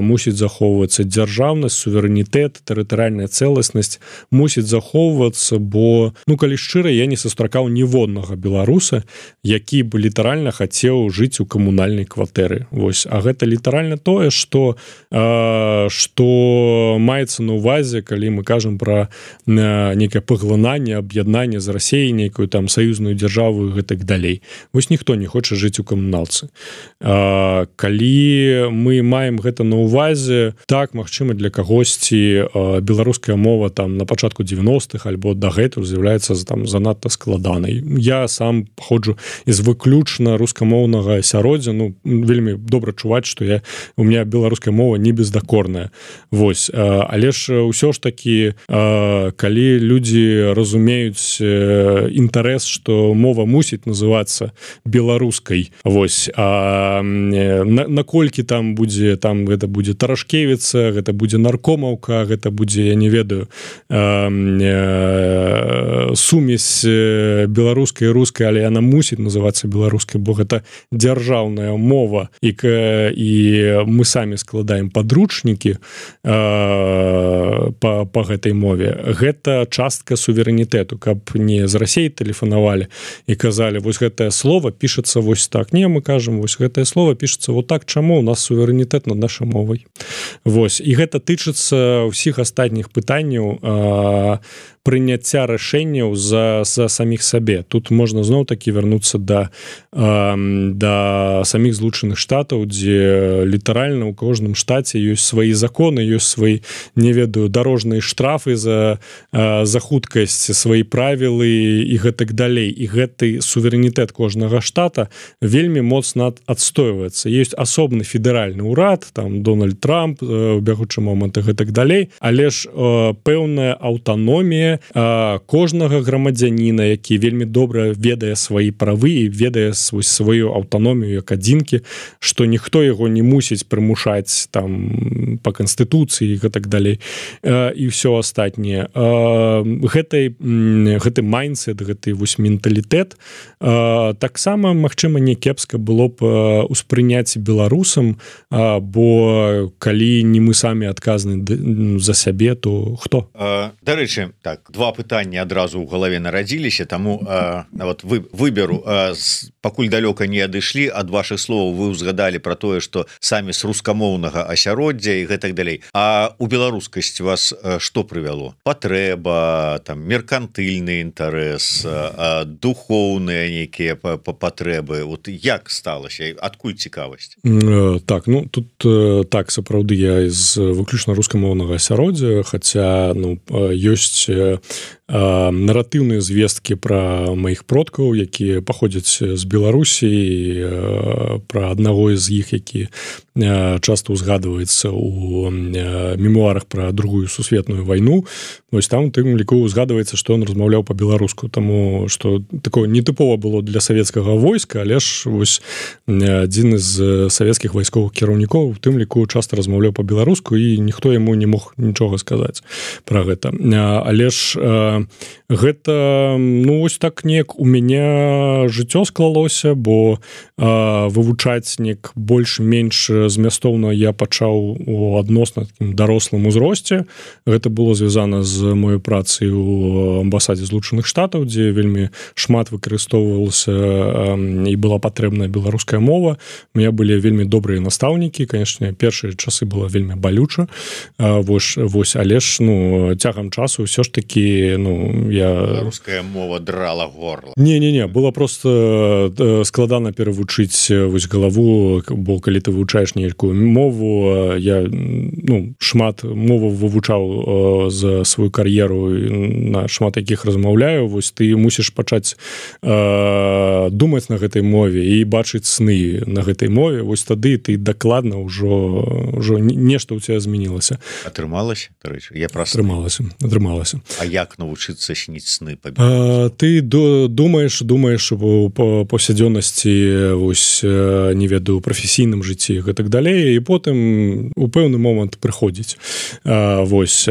мусіць захоўвацца, дзяржаўнасць, суверэнітэт, тэрытарыяльная цэласнасць мусіць захоўвацца, бо, калі шчыра, я не сустракаў ніводнага беларуса, які бы літаральна хацеў жыць у камунальнай кватэры. Вось. А гэта літаральна тое, што маецца на ўвазе, калі мы кажам пра нейкае паглынанне, аб'яднанне з Расеяй, нейкую там саюзную дзяржаву і гэтак далей. Вось ніхто не хоча жыць у камуналцы. Калі мы маем гэта на ўвазе, так, магчыма, для кагосьці беларуская мова там на пачатку 90-х альбо дагэтуль з'яўляецца там занадта складанай. Я сам паходжу з выключна рускамоўнага асяроддзя, вельмі добра чуваць, што у меня беларуская мова не бездакорная. Вось. Але ж ўсё ж такі, калі людзі разумеюць інтарэс, што мова мусіць называцца беларускай, вось, наколькі там будзе, там гэта будзе Тарашкевіца, гэта будзе Наркомаўка, гэта будзе, я не ведаю, сумесь беларускай і рускай, але яна мусіць называцца беларускай, бо гэта дзяржаўная мова, і мы самі складаем падручнікі па гэтай мове. Гэта частка суверэнітэту, каб не з Расеі тэлефанавалі і казалі, вось гэтае слово пішацца вось так. Не, мы кажам, вось гэтае слово пішацца вот так. Чаму? чаму у нас суверэнітэт над нашай мовай. Вось, і гэта тычыцца ўсіх астатніх пытанняў прыняцця рашэнняў за саміх сабе. Тут можна зноў-такі вярнуцца да саміх Злучаных Штатаў, дзе літаральна ў кожным штаце ёсць свае законы, ёсць свае, не ведаю, дарожныя штрафы за хуткасць, свае правілы і гэтак далей. І гэты суверэнітэт кожнага штата вельмі моцна адстойваецца. Ёсць асобны федэральны ўрад, там Дональд Трамп у бягучы момант і гэтак далей, але ж пэўная аўтаномія кожнага грамадзяніна, які вельмі добра ведае свае правы і ведае сваю аўтаномію як адзінкі, што ніхто яго не мусіць прымушаць там па канстытуцыі і гэтак далей і ўсё астатняе. Гэты майндсет, гэты вось менталітэт таксама, магчыма, не кепска было б успрыняць беларусам, бо калі не мы самі адказны за сябе, то хто? Дарэчы, так, два пытання адразу ў галаве нарадзіліся, таму нават выберу, пакуль далёка не адышлі ад вашых словаў, вы ўзгадалі пра тое, што самі з рускамоўнага асяроддзя і гэтак далей. А у беларускасць вас што прывяло? Патрэба, там, меркантыльны інтарэс, духоўныя нейкія патрэбы. Вот як сталася? Адкуль цікавасць? Так, ну, тут так, сапраўды, я з выключна рускамоўнага асяроддзя, хаця, ну, ёсць наратыўныя звесткі пра маіх продкаў, якія паходзяць з Беларусі, пра аднаго з іх, які часта ўзгадваецца ў мемуарах пра Другую сусветную вайну. Вось там у тым ліку ўзгадваецца, што ён размаўляў па-беларуску, таму што такое нетыпова было для савецкага войска, але ж вось адзін з савецкіх вайсковых кіраўнікоў у тым ліку часта размаўляў па-беларуску, і ніхто яму не мог нічога сказаць пра гэта. Але ж гэта, ну, вось так неяк у мяне жыццё склалося, бо вывучаць неяк больш-менш змястоўна я пачаў у адносна такім дарослым узросце. Гэта было звязана з моёй працай у амбасадзе Злучаных Штатаў, дзе вельмі шмат выкарыстоўвалася і была патрэбная беларуская мова. У меня былі вельмі добрыя настаўнікі, канешне, першыя часы было вельмі балюча, вось, але ж, ну, цягам часу ўсё ж такі, ну, беларуская мова драла горла. Не, было просто складана перавучыць вось галаву, бо калі ты вывучаеш нейкую мову, я, ну, шмат моваў вывучаў за сваю кар'еру, на шмат якіх размаўляю, вось ты мусіш пачаць думаць на гэтай мове і бачыць сны на гэтай мове, вось тады ты дакладна ўжо нешта ў цябе змянілася. Атрымалася, дарэчы? Я праз атрымалася. А як навучыцца сніць сны па-беларуску? Ты думаеш па паўсядзённасці, вось, не ведаю, прафесійным жыцці і гэтак далей, і потым у пэўны момант прыходзіць. Вось,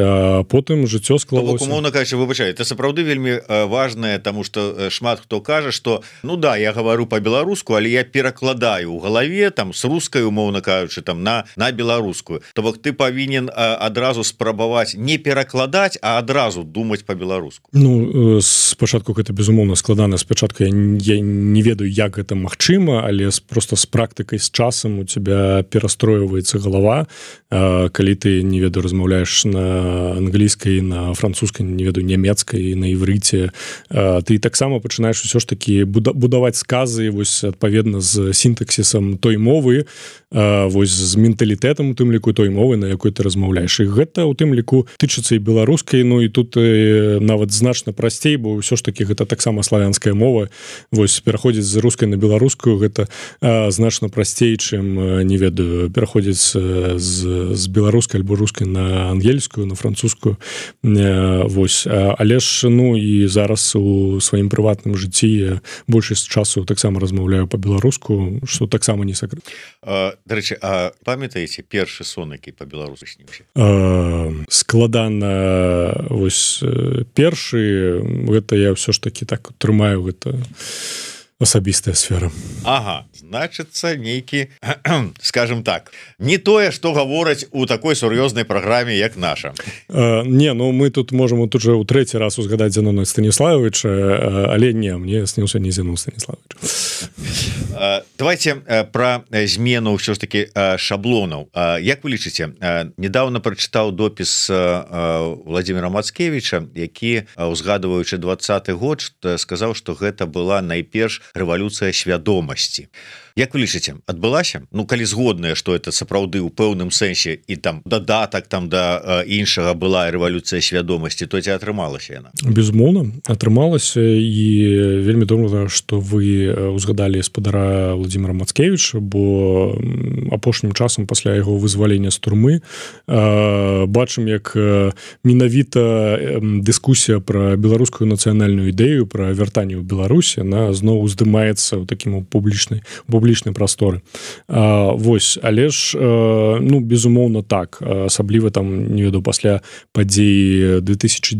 потым жыццё склалося. Умоўна кажучы, выбачай, это сапраўды вельмі важнае, таму што шмат хто кажа, што, ну да, я гавару па-беларуску, але я перакладаю ў галаве, там, з рускай, умоўна кажучы, там, на беларускую. То бок ты павінен адразу спрабаваць не перакладаць, а адразу думаць па-беларуску. Ну, спачатку гэта, безумоўна, складана. Спачатку я не ведаю, як гэта магчыма, але просто з практыкай, з часам у тебя перастройваецца галава. Калі ты, не ведаю, размаўляеш на англійскай, на французскай, не ведаю, нямецкай, на іврыце, ты таксама пачынаеш усё ж такі будаваць сказы, вось, адпаведна з сінтаксісам той мовы, вось, з менталітэтам у тым ліку той мовы, на якой ты размаўляеш. І гэта у тым ліку тычыцца і беларускай, ну і тут нават значна прасцей, бо ўсё ж такі гэта таксама славянская мова. Вось, пераходзіць з рускай на беларускую гэта значна прасцей, чым, не ведаю, пераходзіць з беларускай альбо рускай на ангельскую, на французскую. Вось, але ж, ну і зараз у сваім прыватным жыцці я большасць часу таксама размаўляю па-беларуску, што таксама не сакрэт. Дарэчы, а памятаеце першы сон, які па-беларуску сніўся? Складана, вось, першы, гэта я ўсё ж такі так трымаю, гэта асабістая сфера. Ага, значыцца нейкі, скажем так, не тое, што гавораць у такой сур'ёзнай праграме, як наша. Не, ну мы тут можам тут же ў трэці раз узгадаць Зенона Станіславовича, але не, мне сніўся не Зенон Станіславович. Давайте про змену ўсё ж таки шаблонаў. Як вы лічыце, недавно прачытаў допіс Владимира Мацкевича, які, узгадываючы 20-й год, сказаў, што гэта была найперш рэвалюцыя свядомасці. Як вы лічыце, адбылася? Ну, калі згодныя, што это сапраўды ў пэўным сэнсе і там дадатак там да іншага была рэвалюцыя свядомасці, то ці атрымалася яна? Безумоўна, атрымалася, і вельмі добра, што вы узгадалі спадара Владимира Мацкевича, бо апошнім часам пасля яго вызвалення з турмы бачым, як менавіта дыскусія пра беларускую нацыянальную ідэю, пра вяртанне ў Беларусі, она зноў уздымаецца ў такім публічнай прасторы. Вось, але ж, ну, безумоўна так, асабліва там, не ведаю, пасля падзей 2010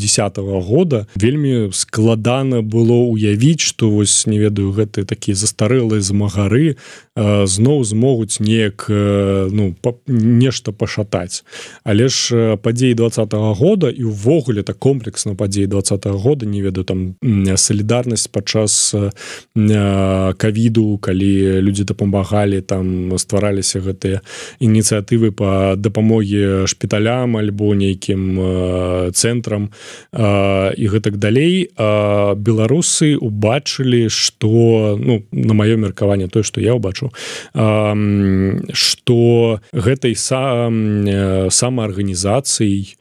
года вельмі складана было ўявіць, што вось, не ведаю, гэты такія застарэлыя змагары зноў змогуць неяк, ну, нешта пашатаць. Але ж падзеі 20-го года і ўвогуле так комплексна падзеі 20-го года, не ведаю, там салідарнасць падчас ковіду, калі людзі дапамагалі, там ствараліся гэтыя ініцыятывы па дапамогі шпіталям альбо нейкім цэнтрам і гэтак далей, беларусы убачылі, што, ну, на маё меркаванне, тое, што я ўбачыў, што гэтай самаарганізацыяй,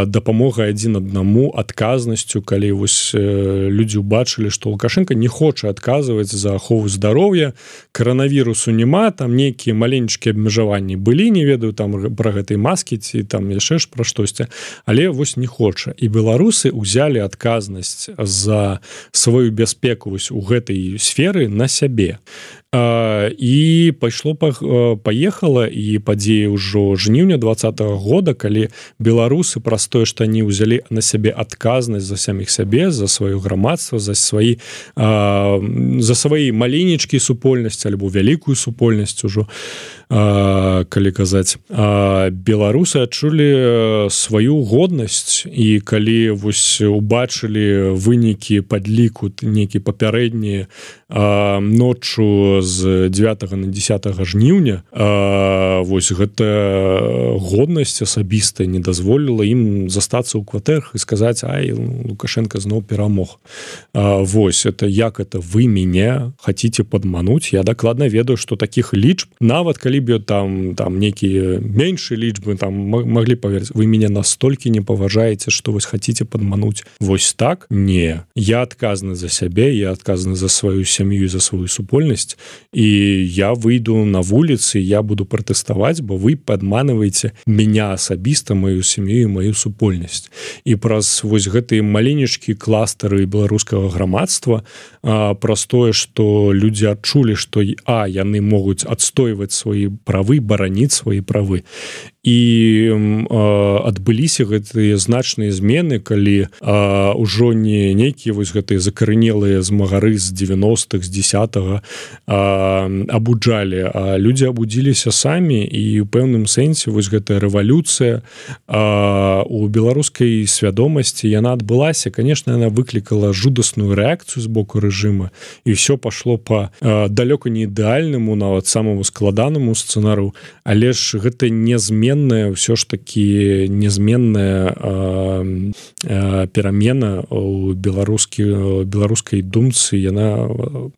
дапамога адзін аднаму, адказнасцю, калі вось людзі ўбачылі, што Лукашенко не хоча адказваць за ахову здароўя, коронавірусу няма, там нейкія маленечкія абмежаванні былі, не ведаю там пра гэтай маскі ці там яшчэ ж пра штосьці, але вось не хоча. І беларусы ўзялі адказнасць за сваю бяспеку вось у гэтай сферы на сябе. І паехала, і падзеі ўжо жніўня 20-го года, калі беларусы праз тое, што они ўзялі на сябе адказнасць за саміх сябе, за сваё грамадства, за свае маленечкі супольнасці альбо вялікую супольнасць ужо, калі казаць, беларусы адчулі сваю годнасць, і калі вось убачылі вынікі падліку нейкі папярэднія ноччу з 9 на 10 жніўня, вось гэта годнасць асабістая не дазволіла ім застацца ў кватэрах і сказаць: ай, Лукашенко зноў перамог. Вось, это як это вы мяне хаціце падмануць? Я дакладна ведаю, што такіх лічб, нават калі б там нейкія меншыя лічбы там маглі паверыць, вы мяне настолькі не паважаеце, што вось хаціце падмануць. Вось так? Не. Я адказны за сябе, я адказны за сваю сям'ю і за сваю супольнасць, і я выйду на вуліцы, я буду пратэставаць, бо вы падманваеце меня асабіста, маю сям'ю і маю супольнасць. І праз вось гэтыя маленечкі кластары беларускага грамадства, праз тое, што людзі адчулі, што яны могуць адстойваць свае правы, бараніць свае правы. І адбыліся гэтыя значныя змены, калі ўжо не нейкія вось гэтыя закарэнелыя змагары з 90-х, з 10-го абуджалі, а людзі абудзіліся самі, і ў пэўным сэнсе вось гэтая рэвалюцыя у беларускай свядомасці, яна адбылася. Конечно, яна выклікала жудасную рэакцыю з боку рэжыма, і ўсё пашло па далёка не ідэальнаму, нават самому складанаму сцэнару, але ж гэта незменная, ўсё ж такі незменная перамена ў беларускай думцы, яна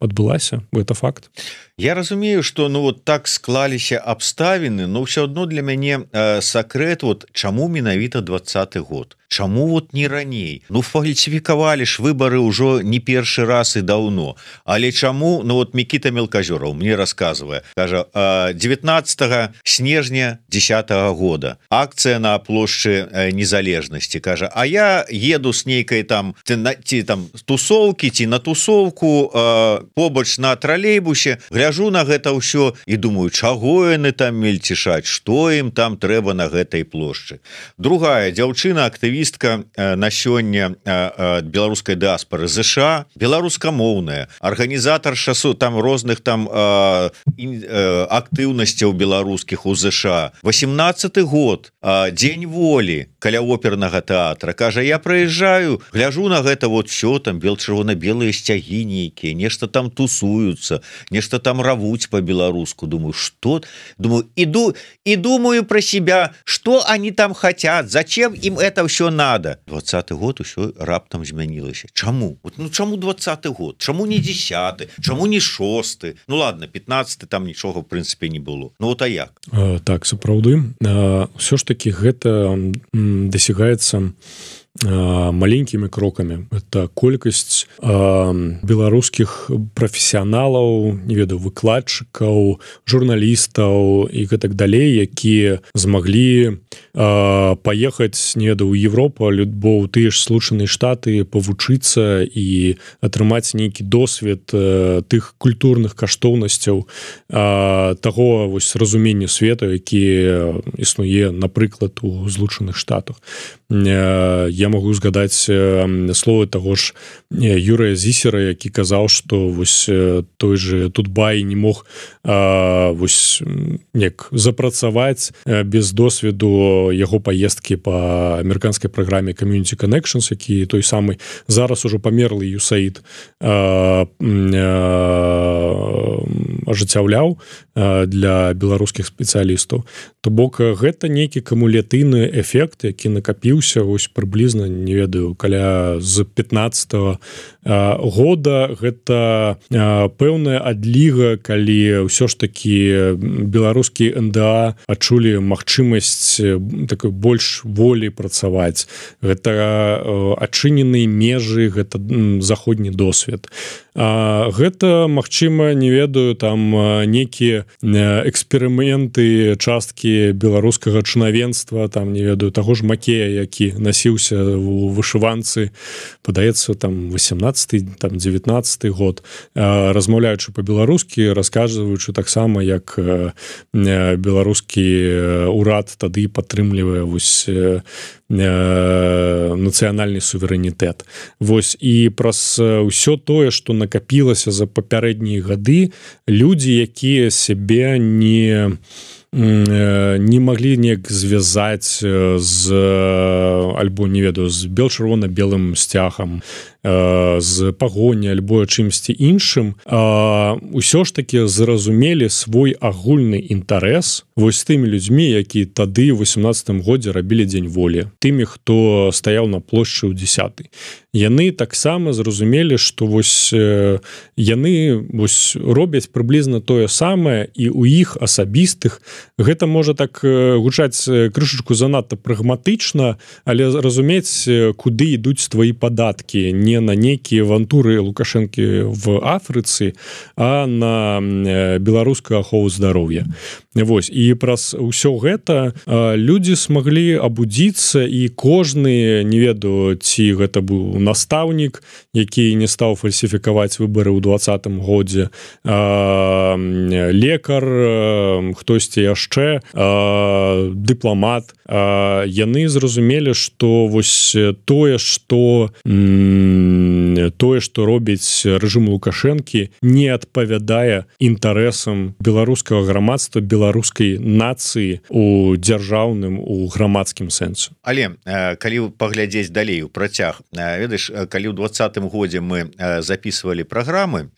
адбылася, гэта факт. Я разумею, што ну вот так склаліся абставіны, но ўсё адно для мяне сакрэт, вот чаму менавіта 20-й год? Чаму вот не раней? Ну, фальсіфікавалі ж выбары ўжо не першы раз і даўно. Але чаму? Ну, вот Мікіта Мелказёраў мне расказвае, кажа, 19 снежня 10-го года акцыя на плошчы Незалежнасці, кажа, а я еду с нейкай там ці там тусоўкі, ці на тусоўку побач на тралейбусе, гляжу на гэта ўсё і думаю, чаго яны там мельцішаць, што ім там трэба на гэтай плошчы. Другая дзяўчына, актывістка на сёння беларускай дыаспары ЗША, беларускамоўная, арганізатарша там розных там актыўнасцяў беларускіх у ЗША. 18-й год, дзень волі каля опернага тэатра, кажа, я прыязджаю, гляжу на гэта вот всё там чырвона-белыя сцягі нейкія, нешта там тусуюцца, нешта там там равуць по-беларуску, думаю, что, думаю, иду и думаю про себя, что они там хотят, зачем им это все надо. 20-й год все раптом змянілася. Чаму? Вот, ну чаму 20-й год? Чаму не 10-й? Чаму не 6-й? Ну ладно, 15-й там нічога в прынцыпе не было. Ну вот а як? Так, сапраўды. Ўсё ж таки гэта дасягаецца маленькімі крокамі. Это колькасць беларускіх прафесіяналаў, не ведаю, выкладчыкаў, журналістаў і гэтак далей, якія змаглі паехаць, не ведаю, у Европу, альбо ў тыя ж Злучаныя Штаты, павучыцца і атрымаць нейкі досвед тых культурных каштоўнасцяў, таго вось разумення свету, які існуе, напрыклад, у Злучаных Штатах. Я могу згадаць словы таго ж Юрыя Зісера, які казаў, што вось той же Тутбай не мог вось як запрацаваць без досведу яго паездкі па амерыканскай праграме Community Connections, які той самы зараз ужо памерлы USAID ажыццяўляў для беларускіх спецыялістаў. То бок гэта нейкі кумулятыўны эфект, які накапіўся вось прыблізна, не ведаю, каля з 15-го года. Гэта пэўная адліга, калі ўсё ж такі беларускі НДА адчулі магчымасць такой больш волі працаваць. Гэта адчыненыя межы, гэта заходні досвед. Гэта, магчыма, не ведаю, там некія эксперыменты, часткі беларускага чынавенства, там, не ведаю, таго ж Макея, які насіўся у вышыванцы, падаецца, там, 18-й, там, 19-й год, размаўляючы па-беларускі, расказваючы таксама, як беларускі ўрад тады падтрымлівае вось нацыянальны суверэнітэт. Вось, і праз ўсё тое, што накапілася за папярэднія гады, людзі, якія сябе не маглі неяк звязаць з альбо, не ведаю, з бел-чырвона-белым сцягам, з пагоні альбо чымсьці іншым, усё ж такі зразумелі свой агульны інтарэс вось тымі людзьмі, які тады ў 18-м годзе рабілі дзень волі, тымі, хто стаяў на плошчы ў 10-й. Яны таксама зразумелі, што вось яны вось робяць прыблізна тое самае, і ў іх асабістых гэта можа так гучаць крышачку занадта прагматычна, але разумець, куды ідуць твои падаткі, не на нейкія авантуры Лукашэнкі в Афрыцы, а на беларускую ахову здароўя. Вось, і праз ўсё гэта людзі смаглі абудзіцца, і кожны, не ведаю, ці гэта быў настаўнік, які не стаў фальсіфікаваць выбары ў 20-м годзе, лекар, хтосьці яшчэ, дыпламат, яны зразумелі, што вось тое, што робіць рэжым Лукашэнкі, не адпавядае інтарэсам беларускага грамадства, беларускай нацыі у дзяржаўным, у грамадскім сэнсе. Але калі паглядзець далей у працяг, ведаеш, калі ў 20-м годзе мы записывалі праграмы,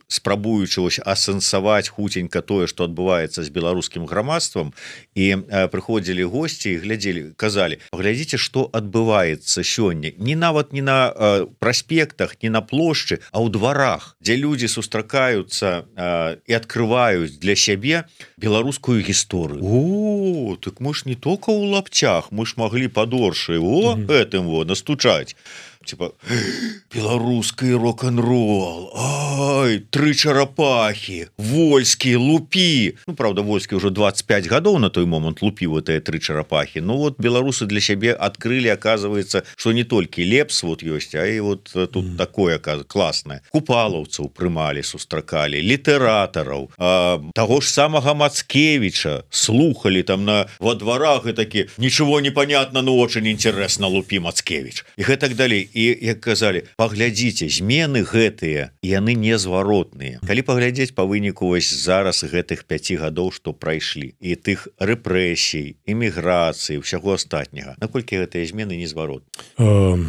спрабуючы асэнсаваць хуценька тое, што адбываецца з беларускім грамадствам, і прыходзілі госці і глядзелі, казалі, паглядзіце, што адбываецца сёння, не нават не на праспектах, не на плошчы, а ў дварах, дзе людзі сустракаюцца і адкрываюць для сябе беларускую гісторыю. О, так мы ж не только ў лапцях, мы ж маглі падоршай гэтым настучаць. Типа, беларускі рок-н-рол, ай, 3 чарапахі, Вольскі, Лупі. Ну, правда, Вольскі ўжо 25 гадоў на той момант лупіў гэтыя 3 чарапахі. Ну, вот беларусы для сябе адкрылі, аказваецца, што не толькі лепс вот ёсць, а і вот тут такое класнае. Купалаўцаў прымалі, сустракалі, літаратараў, таго ж самага Мацкевіча слухалі там во дварах і такі, ничего не понятно, но очень интересно, Лупі, Мацкевіч. І гэтак далей. І, як казалі, паглядзіце, змены гэтыя, яны не незваротныя. Калі паглядзець па выніку вось зараз гэтых 5 гадоў, што прайшлі, і тых рэпрэсій, эміграцыі, ўсяго астатняга, наколькі гэтыя змены незваротны?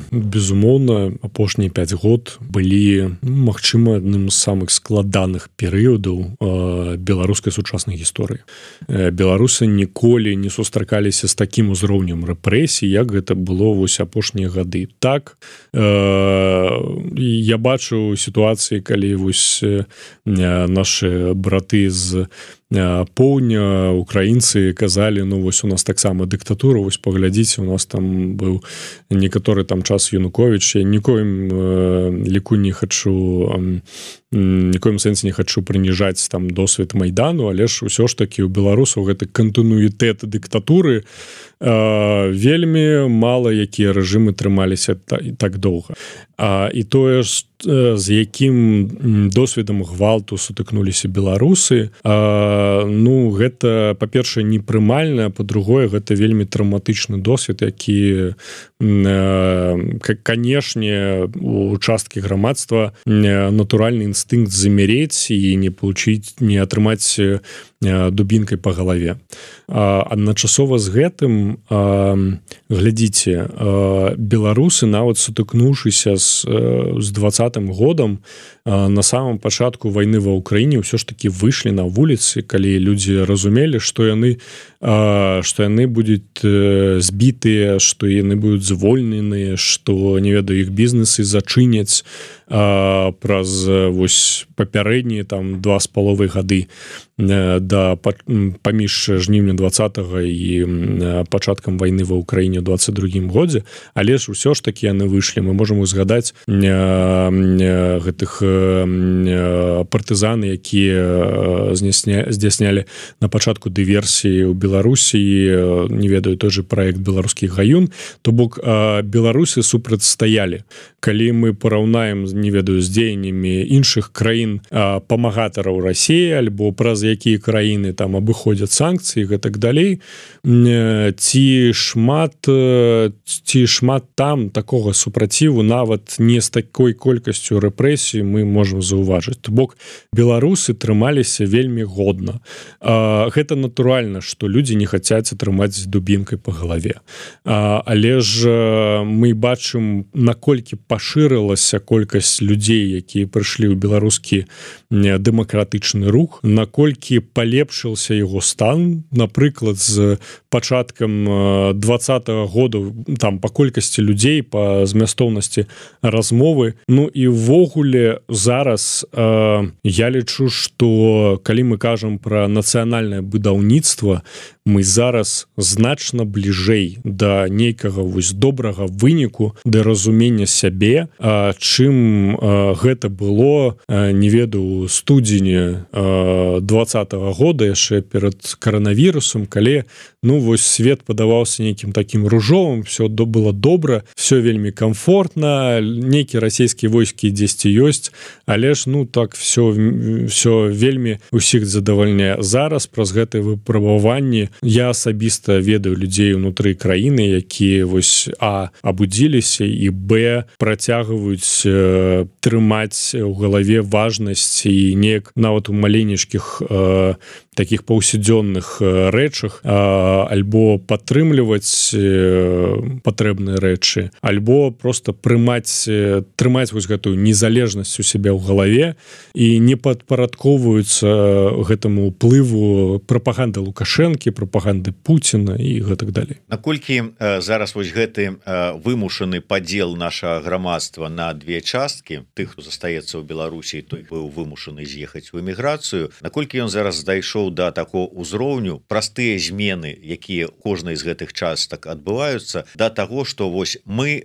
Безумоўна, апошнія 5 год былі, магчыма, адным з самых складаных перыядаў беларускай сучаснай гісторыі. Беларусы ніколі не сустракаліся з такім узроўнем рэпрэсій, як гэта было вось апошнія гады. Так, я бачу сітуацыі, калі вось нашы браты з поўдня, украінцы казалі, ну вось у нас таксама дыктатура, вось паглядзіце, у нас там быў некаторы там час Януковіч, я нікоім ліку не хачу, нікоім сэнсе не хачу прыніжаць там досвед Майдану, але ж усё ж такі ў беларусаў гэты кантынуітэт дыктатуры вельмі мала якія рэжымы трымаліся так доўга. І тое ж, з якім досведам гвалту сутыкнуліся беларусы, ну гэта, па-першае, непрымальна, па-другое, гэта вельмі траўматычны досвед, які, канешне, у часткі грамадства натуральны інстынкт замерець і не атрымаць дубінкай па галаве. Адначасова з гэтым, глядзіце, беларусы, нават сутыкнуўшыся з 20-м годам, на самом пачатку вайны ва Ўкраіне ўсё ж такі выйшлі на вуліцы, калі людзі разумелі, што яны будуць збітыя, што яны будуць звольненыя, што, не ведаю, іх бізнесы зачыняць праз вось папярэднія там 2,5 гады паміж жніўня 20-го і пачаткам вайны ва Ўкраіне ў 22-м годзе, але ж усё ж такі яны выйшлі. Мы можам узгадаць гэтых партызаны, якія здзяйснялі на пачатку дыверсіі ў Беларусі, не ведаю, той же праект «Беларускі гаюн», то бок беларусы супрацьстаялі. Калі мы параўнаем, не ведаю, з дзеяннямі іншых краін памагатараў Расіі, альбо праз якія краіны там абыходзяць санкцыі і гэтак далей, ці шмат там такога супраціву, нават не з такой колькасцю рэпрэсій мы можам заўважыць. То бок беларусы трымаліся вельмі годна. Гэта натуральна, што людзі не хацяць атрымаць дубінкай па галаве. Але ж мы бачым, наколькі пашырылася колькасць людзей, якія прыйшлі ў беларускі дэмакратычны рух, наколькі палепшыўся яго стан, напрыклад, з пачаткам 20-го году там па колькасці людзей, па змястоўнасці размовы. Ну і ўвогуле зараз я лічу, што калі мы кажам пра нацыянальнае будаўніцтва, мы зараз значна бліжэй да нейкага вось добрага выніку, да разумення сябе, чым гэта было, не ведаю, студзені 20-го года, яшчэ перад каранавірусам, калі, ну, вось свет падаваўся нейкім такім ружовым, все было добра, все вельмі комфортна, нейкія расійскія войскі дзесьці ёсць, але ж, ну, так все вельмі усіх задавальняе. Зараз праз гэтае выпрабаванне я асабіста ведаю людзей унутры краіны, якія вось абудзіліся і працягваюць трымаць у галаве важнасць і неяк нават у маленечкіх таких паўсядзённых рэчах альбо падтрымліваць патрэбныя рэчы, альбо просто трымаць вось гэтую незалежнасць у сябе ў галаве і не падпарадковваюцца гэтаму ўплыву прапаганды Лукашэнкі, прапаганды Пуціна і гэтак далей. Наколькі зараз вось гэты вымушаны падзел нашага грамадства на две часткі, тых, хто застаецца ў Беларусі, той быў вымушаны з'ехаць у эміграцыю, наколькі ён зараз дайшоў да такого ўзроўню, простыя змены, якія кожнай з гэтых частак адбываюцца, да таго, што вось мы,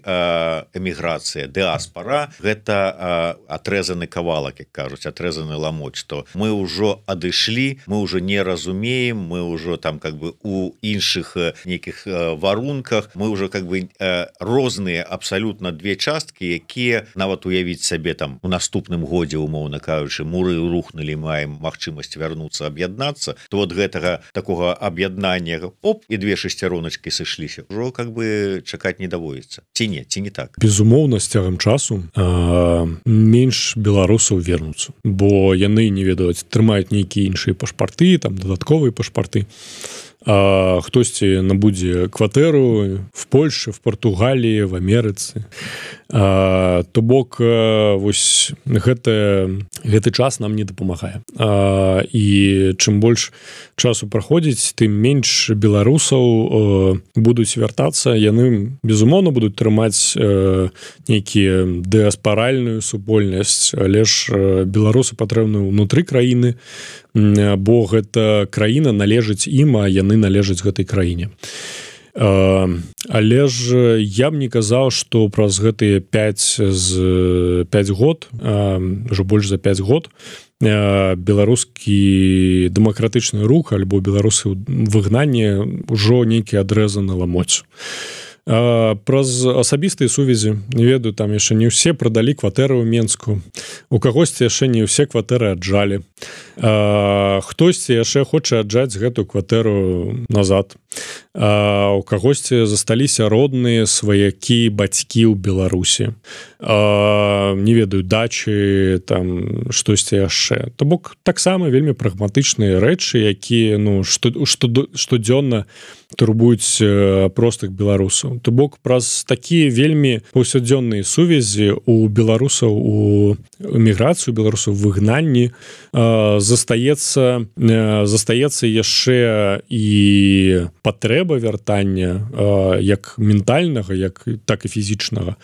эміграцыя, дыаспара, гэта атрэзаны кавалак, як кажуць, атрэзаны ламоч, што мы ўжо адышлі, мы ўжо не разумеем, мы ўжо там как бы у іншых нейкіх варунках мы уже как бы розныя абсолютно две часткі, якія нават уявіць сабе там у наступным годзе, умоўна кажучы, муры рухнули, маем магчымасць вярнуцца, аб'яднацца, то вот гэтага такого аб'яднання оп і две шесцяроночки сышліся, ўжо как бы чакаць не даводзіцца. Ці не так? Безумоўна, з цягам часу менш беларусаў вернуцца, бо яны не ведаюць, трымаюць нейкія іншыя пашпарты, там дадатковыя пашпарты. Хтосьці набудзе кватэру в Польше, в Португалії, в Амерыцы. То бок вось гэты час нам не дапамагае. І чым больш часу праходзіць, тым менш беларусаў будуць вяртацца, яны безумоўна будуць трымаць нейкія дыаспаральную супольнасць, але ж беларусы патрэбны ўнутры краіны, бо гэта краіна належыць ім, а яны належаць гэтай краіне. Але ж я б не казаў, што праз гэтыя 5 год, ўжо больш за 5 год, беларускі дэмакратычны рух альбо беларусы выгнанне ўжо нейкі адрэзаны ламоць. Праз асабістыя сувязі, не ведаю, там яшчэ не ўсе прадалі кватэры ў Менску, у кагосьці яшчэ не ўсе кватэры аджалі, хтосьці яшчэ хоча аджаць гэтую кватэру назад, у кагосьці засталіся родныя, сваякі, бацькі ў Беларусі, не ведаю, дачы, там штосьці яшчэ. То бок таксама вельмі прагматычныя рэчы, якія штодзённа турбуюць простых беларусаў. То бок праз такія вельмі паўсядзённыя сувязі у беларусаў, у эміграцыю беларусаў, выгнанні застаецца яшчэ і патрэба вяртання як ментальнага, так і фізічнага,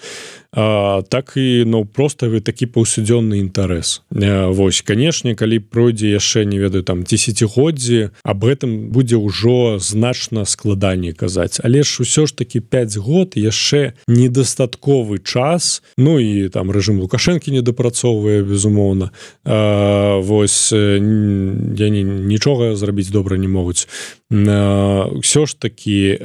так і проста такі паўсядзённы інтарэс. Вось, канешне, калі пройдзе яшчэ, не ведаю, там дзесяцігоддзі, аб гэтым будзе ўжо значна складаней казаць. Але ж усё ж такі 5 год яшчэ недастатковы час, ну і там рэжым Лукашэнкі недапрацоўвае, безумоўна. Вось, яны нічога зрабіць добра не могуць. Усё ж такі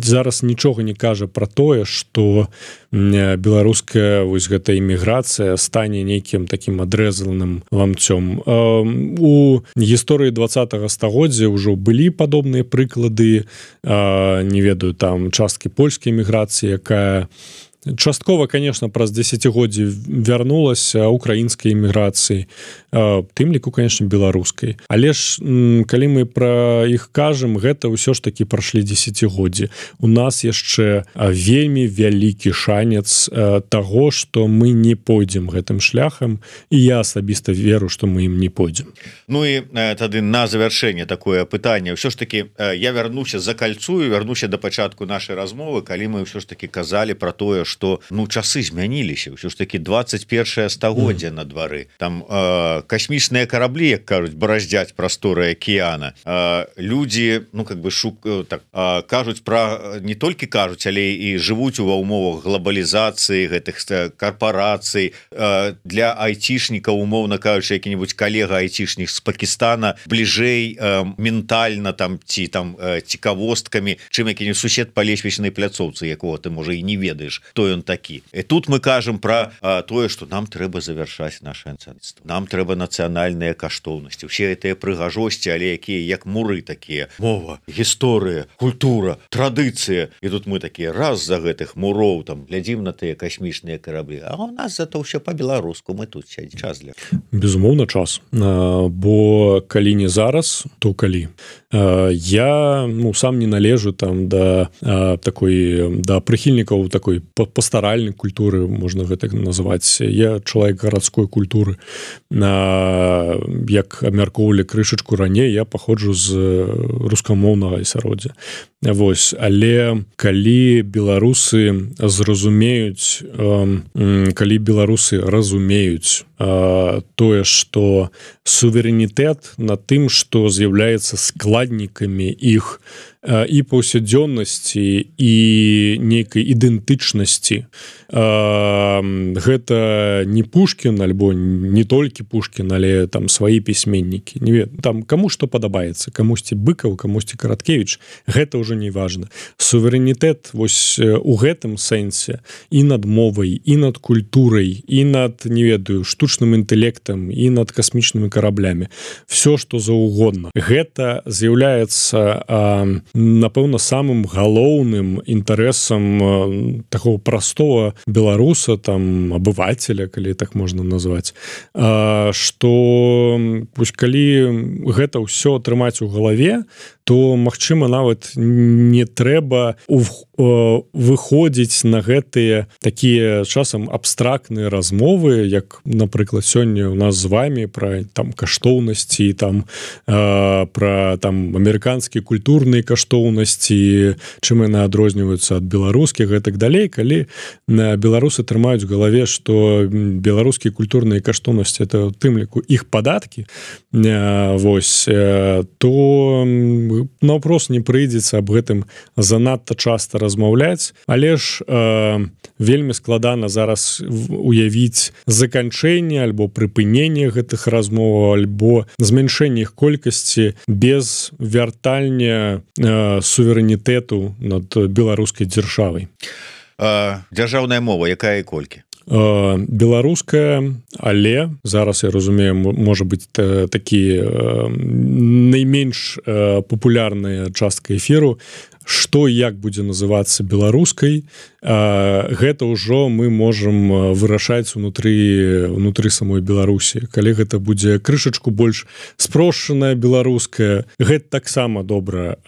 зараз нічога не кажа пра тое, што беларуская вось гэта эміграцыя стане нейкім такім адрэзаным ламцом. У гісторыі 20-го стагоддзя ўжо былі падобныя прыклады, не ведаю, там часткі польскай эміграцыі, якая часткова, конечно, праз дзесяцігоддзі вярнулася украінскай эміграцыі, тым ліку, конечно, беларускай. Але ж, калі мы пра іх кажам, гэта ўсё ж такі прашлі дзесяцігоддзі. У нас яшчэ вельмі вялікі шанец таго, што мы не пойдзем гэтым шляхам, і я асабіста веру, што мы ім не пойдзем. Ну і тады на завяршэнне такое пытанне. Ўсё ж такі я вярнуся, закальцую, вярнуся да пачатку нашай размовы, калі мы ўсё ж такі казалі пра тое, што часы змяніліся, ўсё ж такі 21 стагоддзя на двары, там касмічныя караблі, як кажуць, бараздзяць прасторы акіяна, людзі кажуць пра, не толькі кажуць, але і жывуць ва ўмовах глобалізацыі гэтых карпорацый. Для айцішнікаў, умоўна кажучы, які-небудзь калега айцішнік з Пакістана бліжэй ментальна там ці там цікавосткамі, чым які-небудзь сусед па лесвічнай пляцоўцы, якого ты можа і не ведаеш, хто ён такі. І тут мы кажам пра тое, што нам трэба завяршаць наше нацыянальніцтва. Нам трэба нацыянальныя каштоўнасці. Усе гэтыя прыгажосці, але якія як муры такія. Мова, гісторыя, культура, традыцыя. І тут мы такія раз за гэтых муроў там глядзім на тыя касмічныя караблі. А у нас зато ўсё па-беларуску. Мы тут сядзі. Час для... Безумоўна, час. Бо калі не зараз, то калі. Я сам не належу там да прыхільнікаў такой пастаральнай культуры, можна гэта называць. Я чалавек гарадской культуры. Як абмяркоўвалі крышачку раней, я паходжу з рускамоўнага асяроддзя. Вось, але калі беларусы разумеюць тое, што суверэнітэт на тым, што з'яўляецца складнікамі іх і паўсядзённасці, і нейкай ідэнтычнасці ісці. Гэта не Пушкін альбо не толькі Пушкін, але там свае пісьменнікі, там каму што падабаецца, камусьці Быкаў, камусьці Караткевіч, гэта ўжо не важна. Суверэнітэт вось у гэтым сэнсе і над мовай, і над культурай, і над, не ведаю, штучным інтэлектам, і над касмічнымі караблямі. Всё, што заўгодна. Гэта з'яўляецца, напэўна, самым галоўным інтарэсам такого простого беларуса, там, абывателя, калі так можна назваць, што калі гэта ўсё атрымаць у галаве, то, магчыма, нават не трэба выходзіць на гэтыя такія часам абстрактныя размовы, як, напрыклад, сёння у нас з вами пра там каштоўнасці, там пра там амерыканскія культурныя каштоўнасці, чым яны адрозніваюцца ад беларускіх і так далей. Калі беларусы трымаюць у галаве, што беларускія культурныя каштоўнасці это ў тым ліку іх падаткі, вось, то наўпрост не прыйдзецца аб гэтым занадта часта размаўляць, але ж вельмі складана зараз уявіць заканчэнне альбо прыпыненне гэтых размоў, альбо змяншэнне іх колькасці без вяртання суверэнітэту над беларускай дзяржавай. Дзяржаўная мова, якая і колькі? Беларуская, але зараз, я разумею, можа быць такі найменш папулярная частка эфіру, што і як будзе называцца беларускай, гэта ўжо мы можам вырашаць унутры самой Беларусі. Калі гэта будзе крышачку больш спрошчаная беларуская, гэта таксама добра.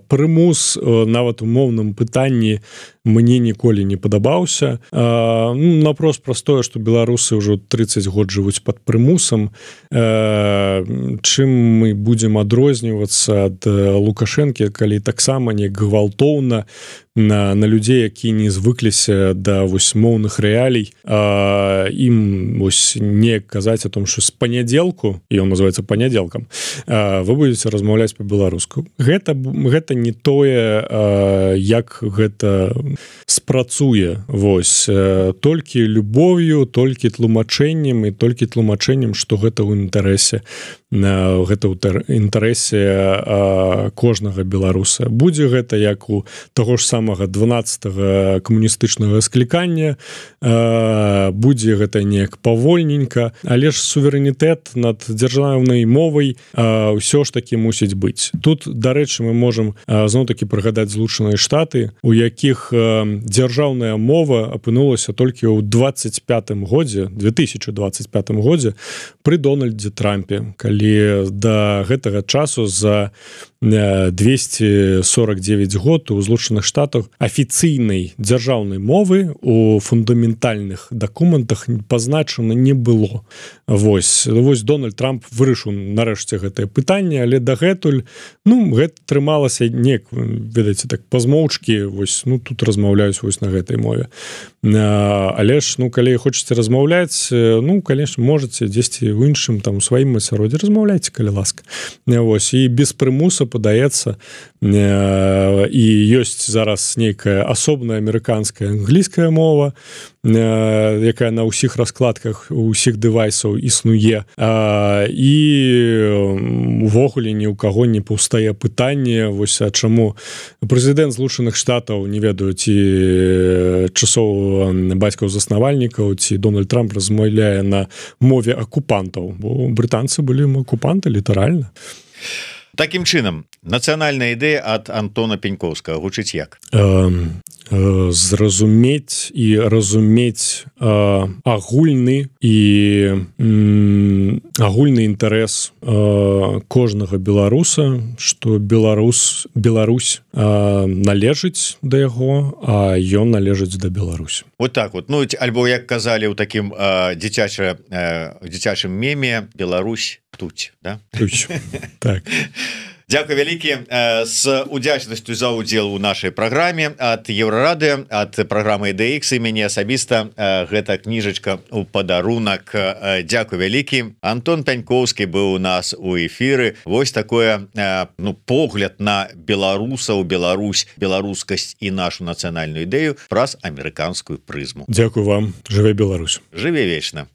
Прымус нават у моўным пытанні мне ніколі не падабаўся. Напрост простое, што беларусы ўжо 30 год жывуць пад прымусам. Чым мы будзем адрознівацца ад Лукашэнкі, калі таксама не гвалтоўна на людзей, які не звыкліся да вось моўных рэалій, ім вось не казаць о том, што з панядзелку, ён называецца панядзелкам, вы будзеце размаўляць па-беларуску. Гэта не тое, як гэта спрацуе. Вось толькі любоўю, толькі тлумачэннем і толькі тлумачэннем, што гэта ў інтарэсе, гэта ў інтарэсе кожнага беларуса. Будзе гэта як у таго ж самага 12-го камуністычнага склікання, будзе гэта неяк павольненька, але ж суверэнітэт над дзяржаўнай мовай ўсё ж такі мусіць быць. Тут, дарэчы, мы можам зноў-такі прыгадаць Злучаныя Штаты, у якіх дзяржаўная мова апынулася толькі ў 2025 годзе пры Дональдзе Трампе, калі да гэтага часу за 249 год у Злучаных Штатах афіцыйнай дзяржаўнай мовы у фундаментальных дакументах пазначана не было. Вось Дональд Трамп вырашыў нарэшце гэтае пытанне, але дагэтуль гэта трымалася неяк, ведаеце, так пазмоўчкі, вось тут размаўляюць вось на гэтай мове. Але ж, калі хочаце размаўляць, конечно, можаце дзесьці ў іншым там у сваім асяроддзі размаўляйце, калі ласка. Вось, і без прымуса падаецца, і ёсць зараз нейкая асобная амерыканская англійская мова, якая на ўсіх раскладках усіх дэвайсаў існуе, і увогуле ні ў каго не паўстае пытанне, вось, а чаму прэзідэнт Злучаных Штатаў, не ведаю, ці часоў бацькаў-заснавальнікаў, ці Дональд Трамп размаўляе на мове акупантаў, бо брытанцы былі акупанты літаральна. Такім чынам, нацыянальная ідэя ад Антона Пенькоўскага гучыць як? Зразумець і разумець агульны інтарэс кожнага беларуса, што Беларусь належыць да яго, а ён належыць да Беларусі. Вот так вот. Альбо, як казалі ў такім дзіцячым меме, Беларусь птуць, да? Птуць, так. Дзякуй вялікі з удзячнасцю за удзел у нашай праграме ад Еўрарады, ад праграмы EDX і мяне асабіста гэта кніжачка у падарунак. Дзякуй вялікі. Антон Пяньковскі быў у нас у эфіры. Вось такое погляд на беларусаў, Беларусь, беларускасць і нашу нацыянальную ідэю праз амерыканскую прызму. Дзякуй вам. Жыве Беларусь. Жыве вечна.